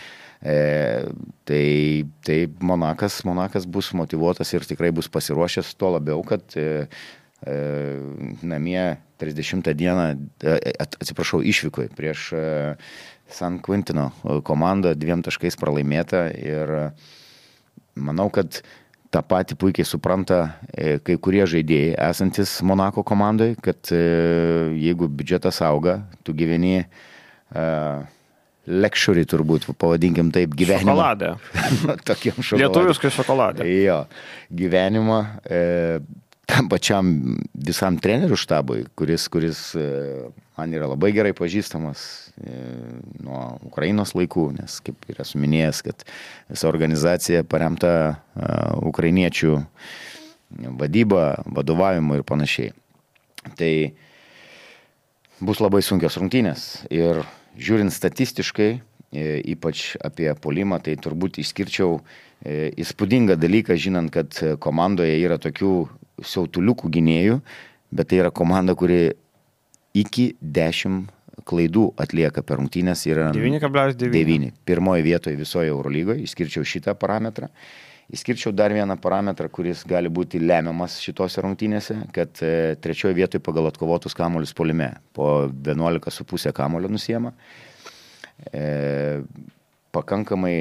Tai Monakas bus motyvuotas ir tikrai bus pasiruošęs, tuo labiau, kad namie 30 dieną, išvykoje prieš San Quintino komandą 2 taškais pralaimėta ir manau, kad tą patį puikiai supranta kai kurie žaidėjai esantis Monako komandai, kad jeigu biudžetas auga, tu gyveni luxury turbūt, pavadinkim taip, gyvenimą. Šokoladę. Tokiam šokoladė. Lietuviškai šokoladę. Jo, gyvenimą tam pačiam visam trenerių štabui, kuris man yra labai gerai pažįstamas nuo Ukrainos laikų, nes kaip yra suminėjęs, kad visa organizacija paremta ukrainiečių vadyba, vadovavimu ir panašiai. Tai bus labai sunkios rungtynės ir žiūrint statistiškai, ypač apie puolimą, tai turbūt išskirčiau įspūdingą dalyką, žinant, kad komandoje yra tokių siautuliukų gynėjų, bet tai yra komanda, kuri iki 10 klaidų atlieka per rungtynės, yra 9,9. Pirmoje vietoje visoje Eurolygoje, išskirčiau šitą parametrą. Išskirčiau dar vieną parametrą, kuris gali būti lemiamas šitose rungtynėse, kad 3 vietoje pagal atkovotus kamuolius puolime po 11,5 kamuolio nusiema. Pakankamai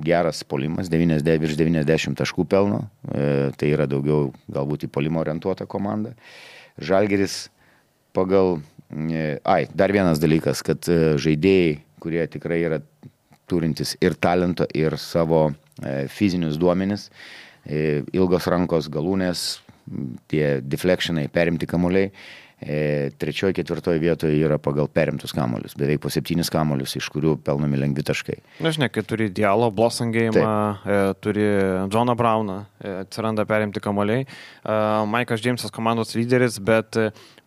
geras puolimas, virš 90 taškų pelno, tai yra daugiau galbūt į puolimą orientuota komanda. Žalgiris pagal... dar vienas dalykas, kad žaidėjai, kurie tikrai yra turintis ir talento, ir savo fizinius duomenis, ilgos rankos, galūnės, tie deflectionai, perimti kamuoliai, 3, 4 vietoje yra pagal perimtus kamuolius, beveik po 7 kamuolius, iš kurių pelnomi lengvi taškai. Nežinai, kai turi Diallo, Blossangėjimą, turi Johną Browną, atsiranda perimti kamuoliai. Maikas Džeimsas komandos lyderis, bet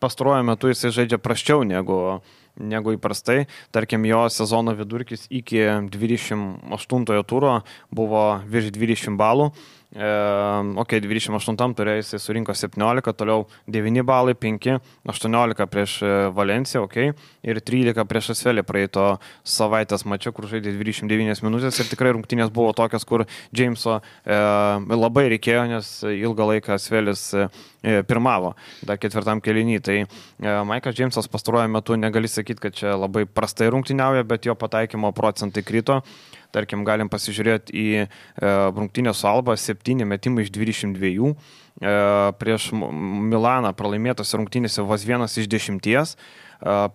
pastaruoju metu jisai žaidžia prasčiau negu įprastai. Tarkim, jo sezono vidurkis iki 28 turo buvo virš 20 balų. 28 turė jisai surinko 17, toliau 9 balai, 5, 18 prieš Valenciją, ir 13 prieš Asvelį praeito savaitės mačio, kur žaidė 29 minutės ir tikrai rungtynės buvo tokias, kur Džeimso labai reikėjo, nes ilgą laiką Asvelis pirmavo dar 4 kėlinį. Tai Maikas Džeimsas pastaruoju metu negali sakyti, kad čia labai prastai rungtyniauja, bet jo pataikymo procentai krito. Tarkim, galim pasižiūrėti į rungtynę su Alba, 7 metimai iš 22, prieš Milaną pralaimėtose rungtynėse vos 1 iš 10,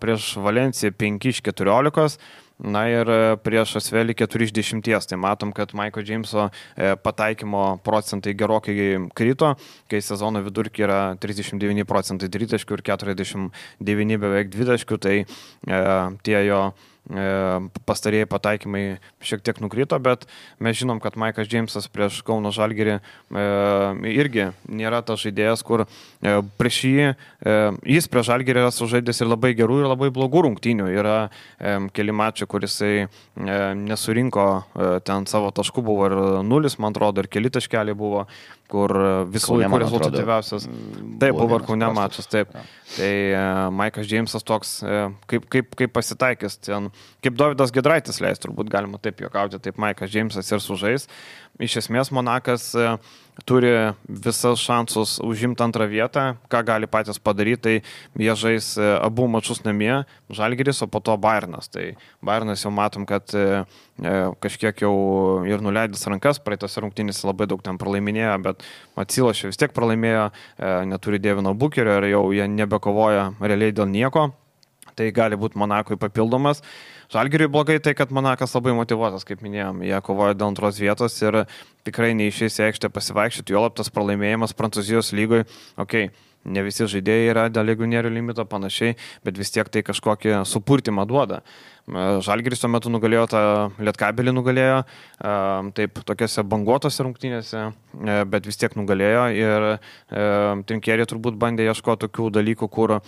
prieš Valenciją 5 iš 14, na ir prieš Asvelį 4 iš 10. Tai matom, kad Maiko Džeimso pataikymo procentai gerokai krito, kai sezono vidurkį yra 39% tritaškių ir 49 beveik dvitaškių, tai tie jo pastarėjai pataikymai šiek tiek nukrito, bet mes žinom, kad Maikas Džeimsas prieš Kauno Žalgirį irgi nėra tas žaidėjas, kur prieš jis prieš Žalgirį yra sužaidęs ir labai gerų, ir labai blogų rungtynių. Yra keli mačiai, kur jisai nesurinko ten savo taškų, buvo ir 0, man atrodo, ir keli taškeliai buvo, kur visų laikų rezultatyviausias. Taip, buvo ir Kaune mačas, taip. Tai Maikas Džeimsas toks, kaip pasitaikęs ten, kaip Dovydas Giedraitis leis, turbūt galima taip juokauti, taip Maikas Džeimsas ir sužais. Iš esmės Monakas turi visas šansus užimti 2 vietą, ką gali patys padaryti, tai jie žais abu mačus namie, Žalgiris, o po to Bayernas. Tai Bayernas jau matom, kad kažkiek jau ir nuleidęs rankas, praeitose rungtynėse labai daug ten pralaiminėjo, bet Atsilošė vis tiek pralaimėjo, neturi Devino Bukerio ir jau jie nebekovoja realiai dėl nieko. Tai gali būti Monakui papildomas. Žalgiriui blogai tai, kad Monakas labai motyvuotas, kaip minėjom, jie kovoja dėl 2 vietos ir tikrai neišeis į aikštę pasivaikščioti, juolab tas pralaimėjimas Prancūzijos lygoje, ne visi žaidėjai yra dėl legionierių limito panašiai, bet vis tiek tai kažkokį supurtimą duoda. Žalgiris tuo metu nugalėjo tą Lietkabelį, nugalėjo, taip, tokiose banguotose rungtynėse, bet vis tiek nugalėjo ir Trinkieri turbūt bandė ieškoti tokių dalykų, kur,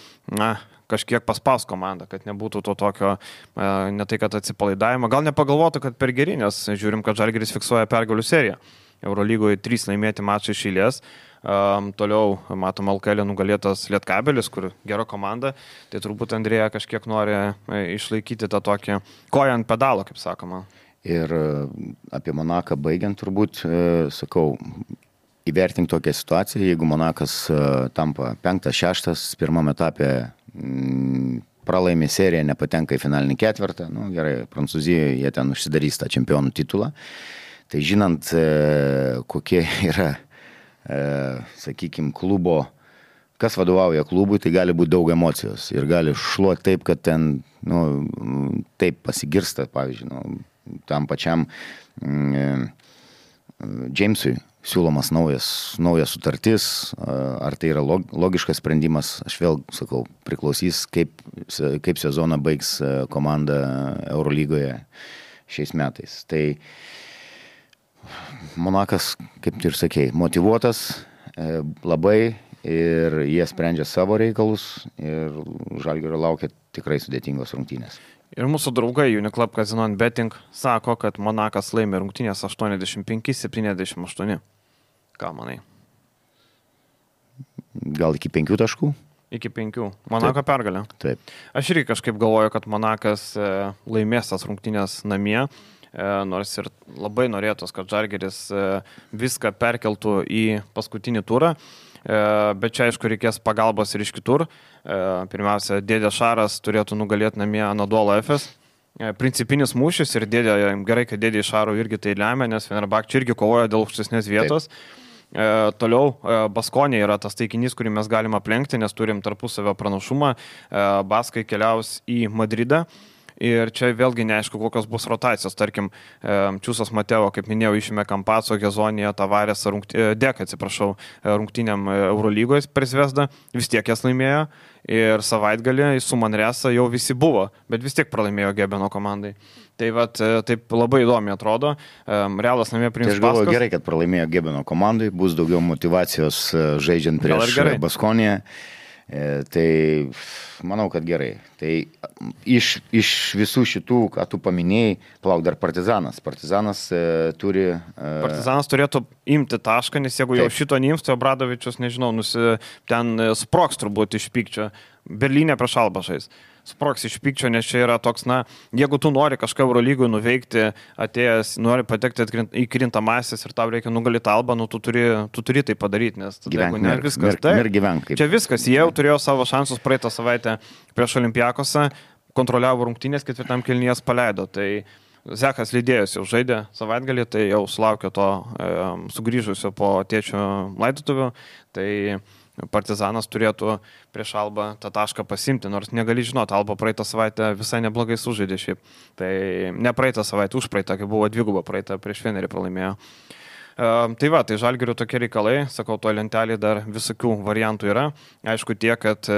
kažkiek paspaus komandą, kad nebūtų to tokio, ne tai kad atsipalaidavimo, gal nepagalvotų, kad per geri, nes žiūrim, kad Žalgiris fiksuoja pergalių seriją. Eurolygoje 3 laimėti mačai iš eilės. Toliau matom LKL nugalėtas Lietkabelis, kur gera komanda, tai turbūt Andrėja kažkiek nori išlaikyti tą tokį koją ant pedalo, kaip sakoma. Ir apie Monaką baigiant turbūt, sakau, įvertink tokią situaciją, jeigu Monakas tampa 5-6, pirmam etapė pralaimi seriją, nepatenka į finalinį ketvirtą, nu gerai, Prancūzijoje jie ten užsidarys tą čempionų titulą, tai žinant, kokie yra, sakykime, klubo, kas vadovauja klubui, tai gali būti daug emocijos ir gali šluoti taip, kad ten, nu, taip pasigirsta, pavyzdžiui, tam pačiam Jamesui siūlomas naujas sutartis, ar tai yra logiškas sprendimas, aš vėl sakau, priklausys, kaip sezoną baigs komanda Eurolygoje šiais metais. Tai Monakas, kaip tu ir sakei, motyvuotas labai ir jie sprendžia savo reikalus ir Žalgirio laukia tikrai sudėtingos rungtynės. Ir mūsų draugai Uniclub Casino Betting sako, kad Monakas laimi rungtynės 85-78. Ką manai? Gal iki 5 taškų? Iki 5. Monako pergalė. Taip. Aš irgi kažkaip galvoju, kad Monakas laimės tas rungtynės namie, nors ir labai norėtos, kad Žalgiris viską perkeltų į paskutinį turą. Bet čia, aišku, reikės pagalbos ir iš kitur. Pirmiausia, dėdė Šaras turėtų nugalėti namie Anadolu Efes. Principinis mūšis ir gerai, kad dėdė Šaro irgi tai lemia, nes Fenerbahčė irgi kovoja dėl aukštesnės vietos. Toliau Baskonė yra tas taikinys, kurį mes galime aplenkti, nes turim tarpusavio pranašumą. Baskai keliaus į Madridą. Ir čia vėlgi neaišku, kokios bus rotacijos. Tarkim, Čiūsas Mateo, kaip minėjau, išėmė Kampaco, Gezonija, Tavarės, rungtynėm Eurolygoje per Zvezdą, vis tiek jas laimėjo. Ir savaitgalį su Manresa jau visi buvo, bet vis tiek pralaimėjo Gebeno komandai. Tai vat, taip labai įdomi atrodo. Realas namie priims Paskas. Tai aš galvoju gerai, kad pralaimėjo Gebeno komandai, bus daugiau motyvacijos žaidžiant prieš Baskoniją. Tai manau, kad gerai. Tai iš visų šitų, ką tu paminėjai, plauk dar Partizanas. Partizanas turi... Partizanas turėtų imti tašką, nes jeigu jau šito neims, tai Obradovičius, nežinau, ten sproks turbūt iš pykčio. Berlyne prieš Albą žais. Sproks iš pykčio, nes čia yra toks, jeigu tu nori kažką Eurolygui nuveikti, atėjęs, nori patekti į krintamasis ir tau reikia nugalėti Albą, tu turi tai padaryti, nes jeigu ne viskas. Čia viskas, jie jau turėjo savo šansus praeitą savaitę prieš Olimpiakosą, kontroliavo rungtynės, ketvirtam kėlinyje paleido, tai Zekas lydėjus jau žaidė savaitgalį, tai jau sulaukė to sugrįžusio po tėčio laidotuvių, tai Partizanas turėtų prieš Albą tą tašką pasimti, nors negali žinoti, Alba praeitą savaitę visai neblogai sužaidė šiaip. Tai ne praeitą savaitę, už praeitą, kai buvo dviguba praeitą, prieš Fenerį pralaimėjo. Tai va, tai Žalgirių tokie reikalai, sakau, to lentelį dar visokių variantų yra. Aišku tiek, kad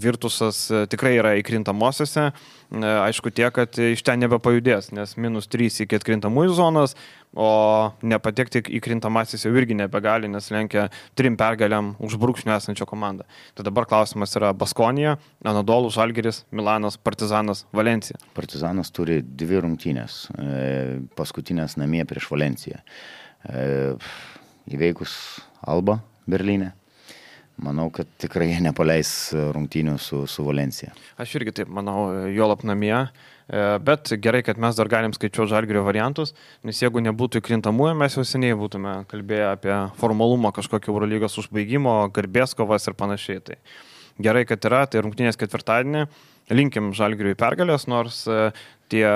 Virtusas tikrai yra įkrintamosiose, aišku tiek, kad iš ten nebepajudės, nes -3 iki atkrintamųjų zonos, o nepatekti į krintamasis jau irgi nebegali, nes lenkia 3 pergalėm už brūkšnio esančią komandą. Tai dabar klausimas yra Baskonija, Anadolu, Žalgiris, Milanas, Partizanas, Valencija. Partizanas turi 2 rungtynės, paskutinės namie prieš Valenciją. Įveikus Albą Berlyne. Manau, kad tikrai nepaleis rungtynių su Valencija. Aš irgi taip manau, juolab namie, bet gerai, kad mes dar galim skaičiuoti Žalgirio variantus, nes jeigu nebūtų įkrintamųjų, mes jau seniai būtume kalbėję apie formalumą kažkokio Eurolygos užbaigimo, garbės kovas ir panašiai. Tai gerai, kad yra, tai rungtynės ketvirtadienį, linkim Žalgiriui pergalės, nors tie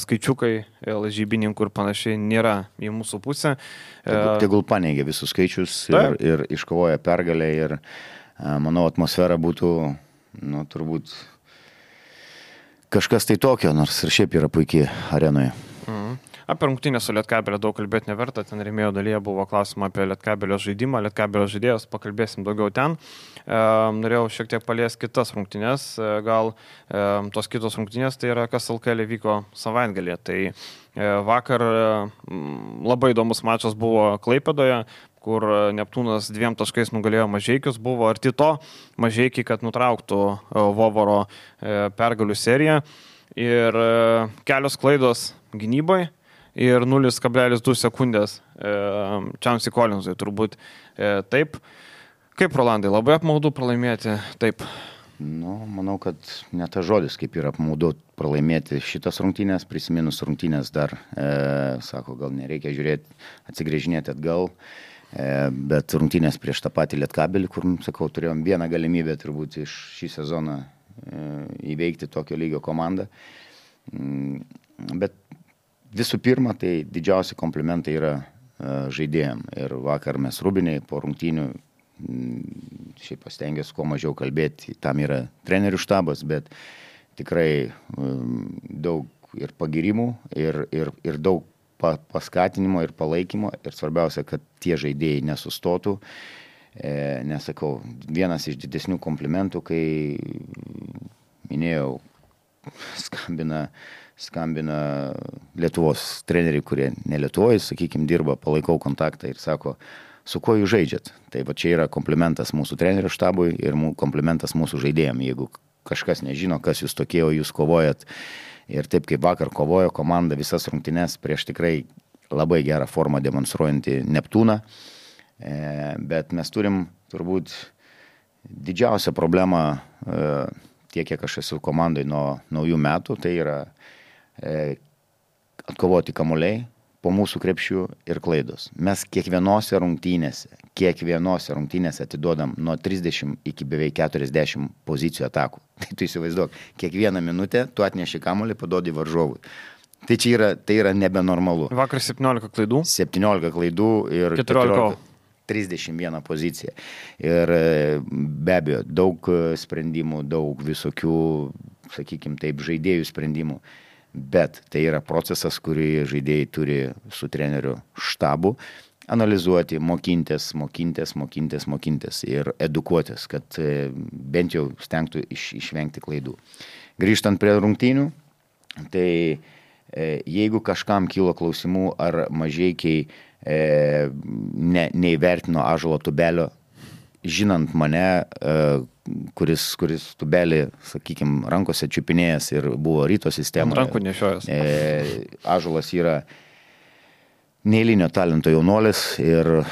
skaičiukai lažybininkų ir panašiai nėra į mūsų pusę. Tegul paneigia visus skaičius ir iškovoja pergalę ir manau atmosfera būtų, turbūt kažkas tai tokio, nors ir šiaip yra puikiai arenoje. Apie rungtynę su Lietkabelio daug kalbėti neverta, ten rėmėjo dalyje buvo klausimą apie Lietkabelio žaidimą, Lietkabelio žaidėjus, pakalbėsim daugiau ten. Norėjau šiek tiek paliesti kitas rungtynės, gal tos kitos rungtynės, tai yra kas LKL vyko savaitgalį. Tai vakar labai įdomus mačas buvo Klaipėdoje, kur Neptūnas 2 taškais nugalėjo Mažeikius, buvo arti to Mažeikiai, kad nutrauktų Vovoro pergalių seriją ir kelios klaidos gynybai. Ir 0,2 sekundės Čamsi Kolinzui turbūt taip. Kaip, Rolandai, labai apmaudu pralaimėti taip? Manau, kad ne tas žodis, kaip yra apmaudu pralaimėti šitas rungtynės, prisiminus rungtynės dar, sako, gal nereikia žiūrėti, atsigrėžinėti atgal. Bet rungtynės prieš tą patį Lietkabelį, kur, sakau, turėjom vieną galimybę turbūt iš šį sezoną įveikti tokio lygio komandą. Bet visų pirma, tai didžiausi komplimentai yra žaidėjim. Ir vakar mes Rūbiniai po rungtynių, šiaip pastengiuosi kuo mažiau kalbėti, tam yra trenerių štabas, bet tikrai daug ir pagirimų, ir daug paskatinimo ir palaikymo. Ir svarbiausia, kad tie žaidėjai nesustotų. Nesakau, vienas iš didesnių komplimentų, kai minėjau, skambina Lietuvos treneriai, kurie ne Lietuvoje, sakykime, dirba, palaikau kontaktą ir sako, su kuo jūs žaidžiat. Tai va čia yra komplimentas mūsų trenerių štabui ir komplimentas mūsų žaidėjam. Jeigu kažkas nežino, kas jūs tokie, o jūs kovojat ir taip kaip vakar kovojo komanda visas rungtynes prieš tikrai labai gerą formą demonstruojantį Neptūną. Bet mes turim turbūt didžiausią problemą tiek, kiek aš esu komandai nuo naujų metų, tai yra atkovoti kamuoliai po mūsų krepšių ir klaidos. Mes kiekvienose rungtynėse atiduodam nuo 30 iki beveik 40 pozicijų atakų. Tai tu įsivaizduok, kiekvieną minutę tu atneši kamuolį, paduodi varžovui. Tai tai yra nebenormalu. Vakar 17 klaidų. 17 klaidų ir 31 pozicija. Ir be abejo, daug sprendimų, daug visokių, sakykime taip, žaidėjų sprendimų. Bet tai yra procesas, kurį žaidėjai turi su treneriu štabu analizuoti, mokintis ir edukuotis, kad bent jau stengtų išvengti klaidų. Grįžtant prie rungtynių, tai jeigu kažkam kilo klausimų ar Mažeikiai neįvertino Ąžuolo Tubelio, žinant mane, kuris Tubelį, sakykime, rankose čiupinėjęs ir buvo ryto sistemoje. Rankų nešiojas. Ąžuolas yra neeilinio talento jaunuolis ir,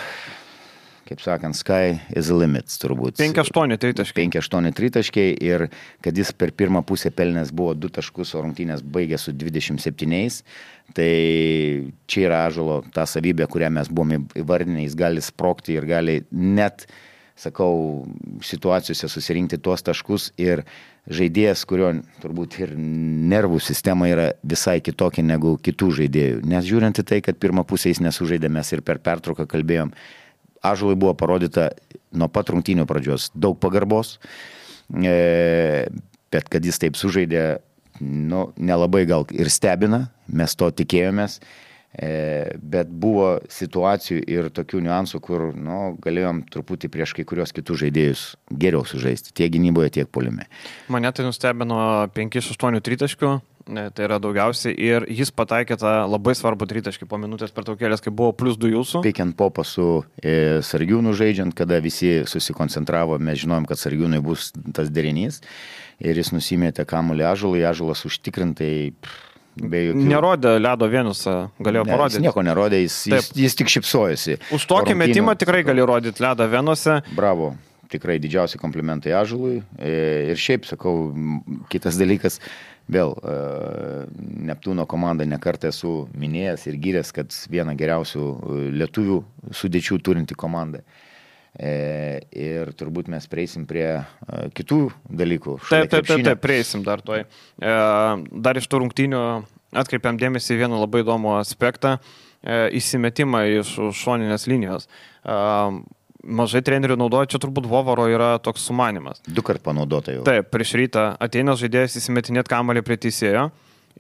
kaip sakant, sky is the limit, turbūt. 5-8 tritaškiai. 5-8 tritaškiai ir kad jis per pirmą pusę pelnęs buvo 2 taškus, o rungtynės baigė su 27, tai čia yra Ąžuolo ta savybė, kurią mes buvome įvardinę, jis gali sprogti ir gali net, sakau, situacijose susirinkti tuos taškus ir žaidėjas, kurio turbūt ir nervų sistema yra visai kitokia negu kitų žaidėjų. Nes žiūrint į tai, kad pirmą pusę jis nesužaidė, mes ir per pertrauką kalbėjom, Ąžuolui buvo parodyta nuo pat rungtynių pradžios daug pagarbos, bet kad jis taip sužaidė, nelabai gal ir stebina, mes to tikėjomės. Bet buvo situacijų ir tokių niuansų, kur galėjom truputį prieš kai kurios kitus žaidėjus geriau sužaisti, tiek gynyboje, tiek puolime. Mane tai nustebino 5-8 tritaškių, tai yra daugiausiai, ir jis pataikė tą labai svarbų tritaškį po minutės pertraukėlės, kai buvo +2 jūsų. Pick and popą su Sargiūnu žaidžiant, kada visi susikoncentravo, mes žinojom, kad Sargiūnui bus tas derinys ir jis nusimėtė kamuolį Ąžuolui, Ąžuolas užtikrintai nerodė ledo vienusą, galėjo parodyti. Jis nieko nerodė, jis tik šypsojosi. Už tokį metimą tikrai gali rodyti ledą vienuose. Bravo, tikrai didžiausi komplimentai Ąžuolui. Ir šiaip, sakau, kitas dalykas, vėl Neptūno komandą nekartą esu minėjęs ir gyręs, kad viena geriausių lietuvių sudėčių turinti komanda. Ir turbūt mes prieisim prie kitų dalykų. Taip, prieisim dar toj. Dar iš tų rungtynių atkreipiam dėmesį vieną labai įdomų aspektą, įsimetimą iš šoninės linijos. Mažai trenerių naudoja, čia turbūt Vovaro yra toks sumanimas. 2 kart panaudota jau. Taip, prieš rytą ateina žaidėjas įsimetinėt kamuolį prie teisėjo.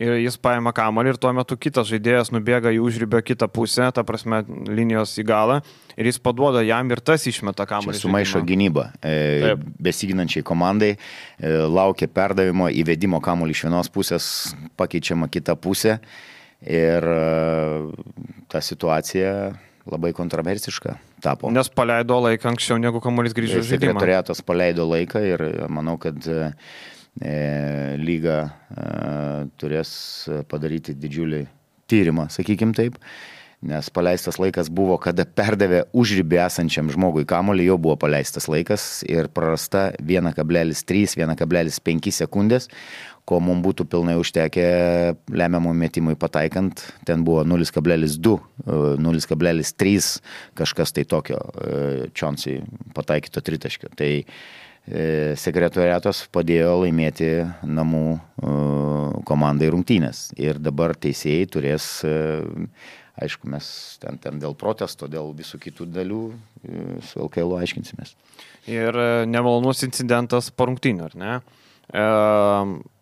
Ir jis paima kamuolį ir tuo metu kitas žaidėjas nubėga į užribio kitą pusę, ta prasme linijos į galą, ir jis paduoda jam ir tas išmeta kamuolį. Čia sumaišo gynybą. Besiginančiai komandai laukia perdavimo, įvedimo kamuolį iš vienos pusės, pakeičiama kita pusė ir ta situacija labai kontroversiška tapo. Nes paleido laiką anksčiau, negu kamuolys grįžo į žaidimą. Sekretoriatas paleido laiką ir manau, kad lyga turės padaryti didžiulį tyrimą, sakykim taip, nes paleistas laikas buvo, kada perdavė užribį esančiam žmogui kamuolį, jau buvo paleistas laikas ir prarasta 1,3-1,5 sekundės, ko mums būtų pilnai užtekę lemiamų metimui pataikant, ten buvo 0,2, 0,3 kažkas tai tokio Čonsui pataikyto tritaškio. Tai sekretoriatas padėjo laimėti namų komandai rungtynės ir dabar teisėjai turės, aišku, mes ten dėl protesto, dėl visų kitų dalių su LKL aiškinsimės. Ir nemalonus incidentas po rungtynių, ar ne?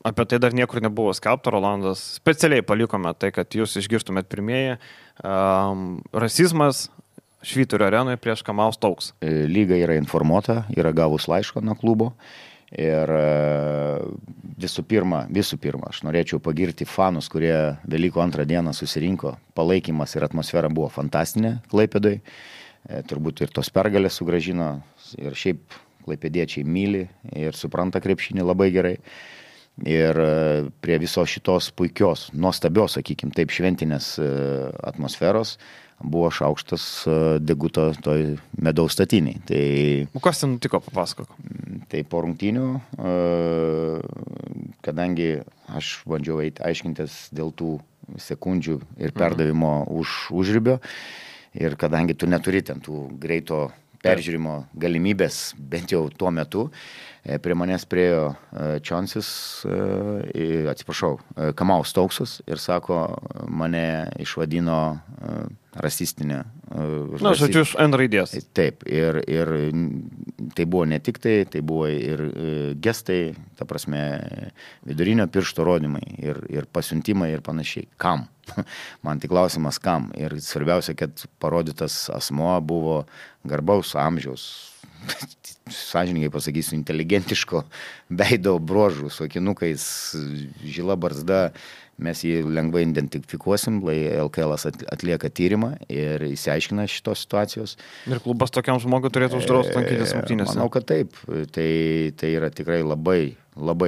Apie tai dar niekur nebuvo skelbta, Rolandas. Specialiai palikome tai, kad jūs išgirstumėt pirmieji. Rasizmas Švyturio arenoje prieš Kamau Stauks. Lyga yra informuota, yra gavus laišką nuo klubo. Ir visų pirma, aš norėčiau pagirti fanus, kurie Velykų antrą dieną susirinko. Palaikymas ir atmosfera buvo fantastinė Klaipėdoj. Turbūt ir tos pergalės sugrąžino. Ir šiaip klaipėdiečiai myli ir supranta krepšinį labai gerai. Ir prie viso šitos puikios, nuostabios, sakykim, taip šventinės atmosferos buvo šaukštas deguto toj medaus statiniai. Tai, kas ten nutiko, papasakok? Tai po rungtynių, kadangi aš bandžiau aiškintis dėl tų sekundžių ir perdavimo užribio, ir kadangi tu neturi ten tų greito peržiūrimo galimybės, bent jau tuo metu, prie manęs priejo Čonsis, Kamau Stauksas ir sako, mane išvadino rasistinė. Na, žodžiu, iš N raidės. Taip, ir tai buvo ne tik tai buvo ir gestai, ta prasme, vidurinio piršto rodymai ir pasiuntimai ir panašiai. Kam? Man tik klausimas, kam? Ir svarbiausia, kad parodytas asmuo buvo garbaus amžiaus, sąžininkai pasakysiu, inteligentiško veido bruožų, su akinukais, žila barzda. Mes jį lengvai identifikuosim, LKL atlieka tyrimą ir įsiaiškina šitos situacijos. Ir klubas tokiam žmogui turėtų uždrausti lankytis rungtynėse? Manau, kad taip. Tai yra tikrai labai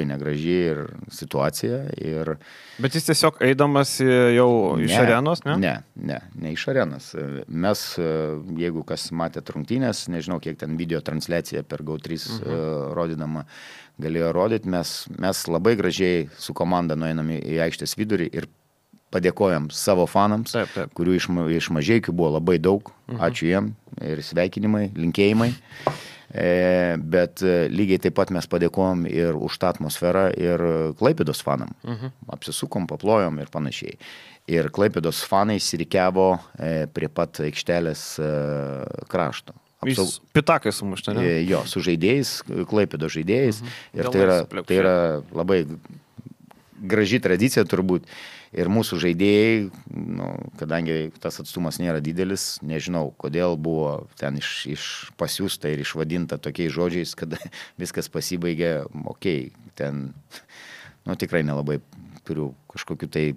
negraži ir situacija. Bet jis tiesiog eidamas jau iš arenos, ne? Ne iš arenos. Mes, jeigu kas matėt rungtynės, nežinau, kiek ten video transliacija per GO3 rodydama galėjo rodyti, mes labai gražiai su komanda nueiname į aikštės vidurį ir padėkojam savo fanams, kurių iš Mažeikių buvo labai daug. Ačiū jiem ir sveikinimai, linkėjimai. Bet lygiai taip pat mes padėkojom ir už tą atmosferą ir Klaipėdos fanam. Apsisukom, paplojom ir panašiai. Ir Klaipėdos fanai įsirikiavo prie pat aikštelės krašto. Jis pitakai sumušta, ne? Jo, su žaidėjais, Klaipėdos žaidėjais. Ir tai yra labai graži tradicija turbūt. Ir mūsų žaidėjai, kadangi tas atstumas nėra didelis, nežinau, kodėl buvo ten pasiųsta ir išvadinta tokiais žodžiais, kad viskas pasibaigė, ten, tikrai nelabai turiu kažkokiu tai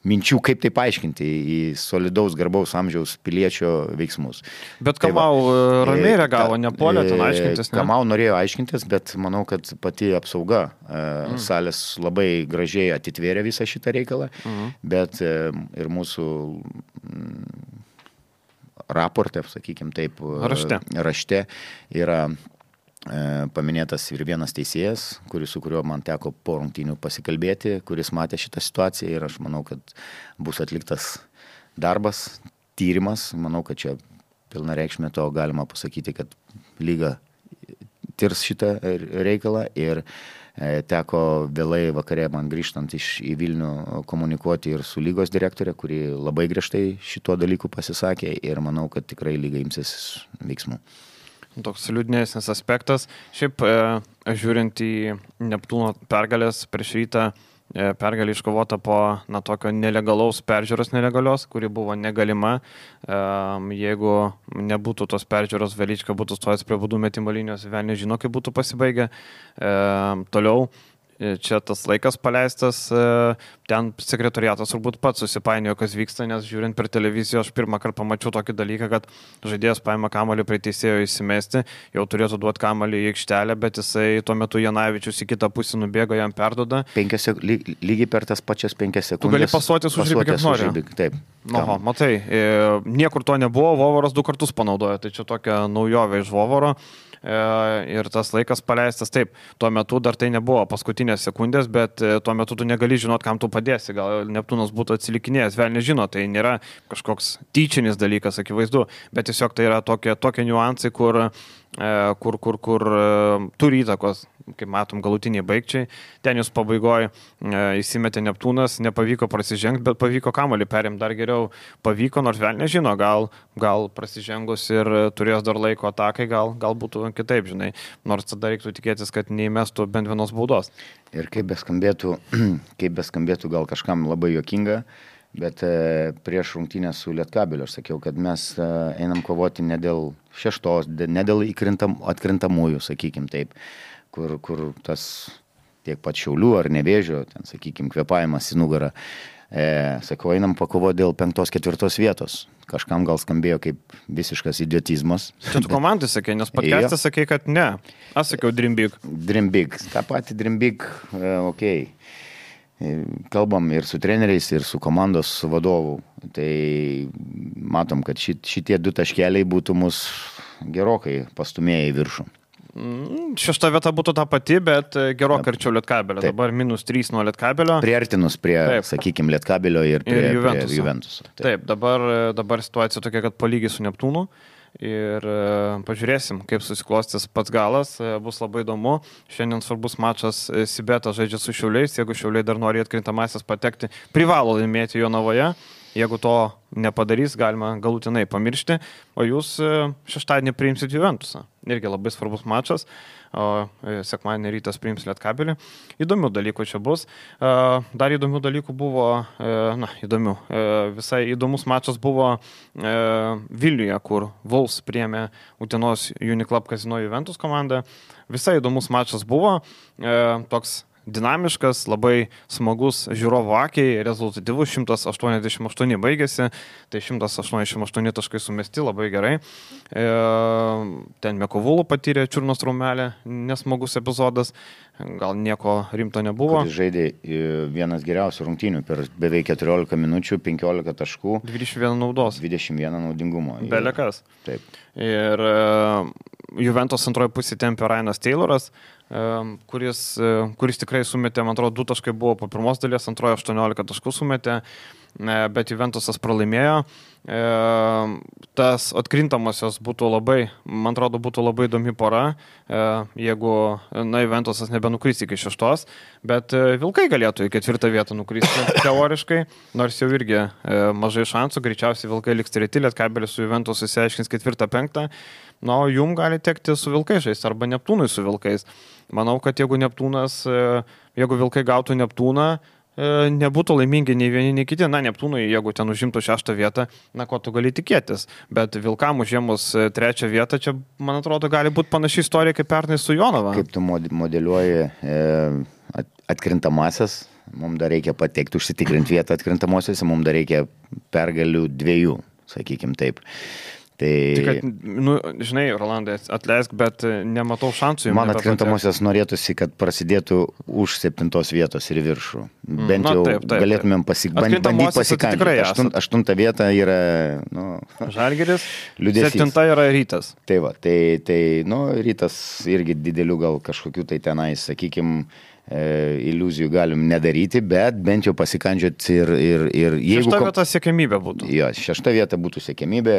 minčių, kaip tai paaiškinti į solidaus garbaus amžiaus piliečio veiksmus. Bet Kamau ramiai reagavo, nepuolė ten aiškintis, ne? Kamau norėjo aiškintis, bet manau, kad pati apsauga salės labai gražiai atitvėrė visą šitą reikalą, bet ir mūsų raporte, sakykim taip, rašte yra paminėtas ir vienas teisėjas, su kuriuo man teko po rungtynių pasikalbėti, kuris matė šitą situaciją ir aš manau, kad bus atliktas darbas, tyrimas. Manau, kad čia pilnareikšmė to galima pasakyti, kad lyga tirs šitą reikalą ir teko vėlai vakare man grįžtant į Vilnių komunikuoti ir su lygos direktorė, kuri labai griežtai šituo dalyku pasisakė ir manau, kad tikrai lyga imsis veiksmų. Toks liūdnesnis aspektas. Šiaip, žiūrint į Neptūno pergalės prieš Rytą, pergalė iškovota po tokio nelegalaus peržiūros nelegalios, kuri buvo negalima. Jeigu nebūtų tos peržiūros, Velička būtų stojęs prie baudų metimo linijos, velniai žino, kaip būtų pasibaigę. Toliau, čia tas laikas paleistas, ten sekretoriatas turbūt pats susipainiojo, kas vyksta, nes žiūrint per televiziją, aš pirmą kartą pamačiau tokį dalyką, kad žaidėjas paima kamuolį prie teisėjo įsimesti, jau turėtų duoti kamuolį į aikštelę, bet jisai tuo metu Janavičius į kitą pusę nubėga, jam perduoda. Lygiai per tas pačias 5 sekundės. Tu gali pasuoti su žaibį, kaip nori. Taip. Oho, matai, niekur to nebuvo, Vovoras 2 kartus panaudojo, tai čia tokia naujovė iš Vovoro. Ir tas laikas paleistas, taip, tuo metu dar tai nebuvo paskutinės sekundės, bet tuo metu tu negali žinot, kam tu padėsi, gal Neptūnas būtų atsilikinėjęs, vėl nežino, tai nėra kažkoks tyčinis dalykas, akivaizdu, bet tiesiog tai yra tokie niuansai, kur turi įtakos, kaip matom, galutiniai baigčiai. Ten jūs pabaigoje įsimetė Neptūnas, nepavyko prasižengti, bet pavyko kamuolį perimti dar geriau. Pavyko, nors vėl nežino, gal prasižengus ir turės dar laiko atakai, gal būtų kitaip, žinai. Nors tada reiktų tikėtis, kad neįmestų bent vienos baudos. Ir kaip beskambėtų gal kažkam labai juokinga, bet prieš rungtynę su Lietkabeliu aš sakiau, kad mes einam kovoti ne dėl 6, ne dėl atkrintamųjų, sakykim taip, kur tas tiek pat Šiaulių ar Nevėžio, ten, sakykim, kvėpavimas į nugarą. Sakau, einam pakovoti dėl 5-4 vietos. Kažkam gal skambėjo kaip visiškas idiotizmas. Čia tu komandai sakė, nes podcast'e sakė, kad ne. Aš sakiau Dream Big. Dream Big. Ta pati Dream Big, okei. Kalbam ir su treneriais, ir su komandos vadovu. Tai matom, kad šitie 2 taškeliai būtų mus gerokai pastumėję į viršų. 6 vieta būtų ta pati, bet gerokai arčiau Lietkabelio. Dabar -3 nuo Lietkabelio. Priartinus prie, sakykime, Lietkabelio ir prie Juventuso. Taip, dabar situacija tokia, kad palygiai su Neptūnu. Ir pažiūrėsim, kaip susiklostys pats galas, bus labai įdomu. Šiandien svarbus mačas, Sibeta žaidžia su Šiauliais, jeigu Šiauliai dar nori atkrintamasis patekti, privalo laimėti Jonavoje. Jeigu to nepadarys, galima galutinai pamiršti, o jūs šeštadienį priimsit Juventusą. Irgi labai svarbus mačas, o sekmadienį rytas priims Lietkabelį. Įdomių dalykų čia bus. Dar įdomių dalykų buvo, visai įdomus mačas buvo Vilniuje, kur Wolves priėmė Utenos Uniclub Casino Juventus komandą. Visai įdomus mačas buvo, toks dinamiškas, labai smagus žiūrovo akiai, rezultatyvus, 188 baigėsi, tai 188 taškai sumesti, labai gerai. Ten Mekovulų patyrė čiurnos traumelę, nesmagus epizodas, gal nieko rimto nebuvo. Kuris žaidė vienas geriausių rungtynių per beveik 14 minučių, 15 taškų. 21 naudos. 21 naudingumo. Belekas. Taip. Ir Juventus antroji pusė tempė Ryanas Tayloras, kuris tikrai sumetė, man atrodo, 2 taškai buvo po pirmos dalies, antrojo 18 taškų sumetė, bet Juventusas pralaimėjo. Tas atkrintamosios būtų labai, man atrodo, būtų labai įdomi pora, jeigu Juventusas nebenukris iki 6, bet Vilkai galėtų į 4 vietą nukristi teoriškai, nors jau irgi mažai šansų, greičiausiai Vilkai liks 3, Lietkabelis su Juventusu išsiaiškins 4-5, o jum gali tekti su Vilkais žaisti arba Neptūnui su Vilkais. Manau, kad jeigu Vilkai gautų Neptūną, nebūtų laimingi nei vieni, nei kiti. Neptūnui, jeigu ten užimtų 6 vietą, ko tu gali tikėtis. Bet Vilkam užėmus 3 vietą, čia, man atrodo, gali būti panaši istorija kaip pernai su Jonava. Kaip tu modeliuoji atkrintamasias, mums dar reikia patekti, užsitikrinti vietą atkrintamosiose, mums dar reikia pergalių 2, sakykim taip. Tik, žinai, Rolandai, atleisk, bet nematau šansų. Man atkrintamosios norėtųsi, kad prasidėtų už 7 vietos ir viršų. Bent jau galėtumėm bandyti pasikandžioti. 8 vieta yra Žalgiris, liūdesys. 7 yra Rytas. Tai va, Rytas irgi didelių gal kažkokių tai tenais, sakykim, iliuzijų galim nedaryti, bet bent jau pasikandžioti ir jeigu... 6 vieta siekiamybė būtų. Jo, 6 vieta būtų siekiamybė,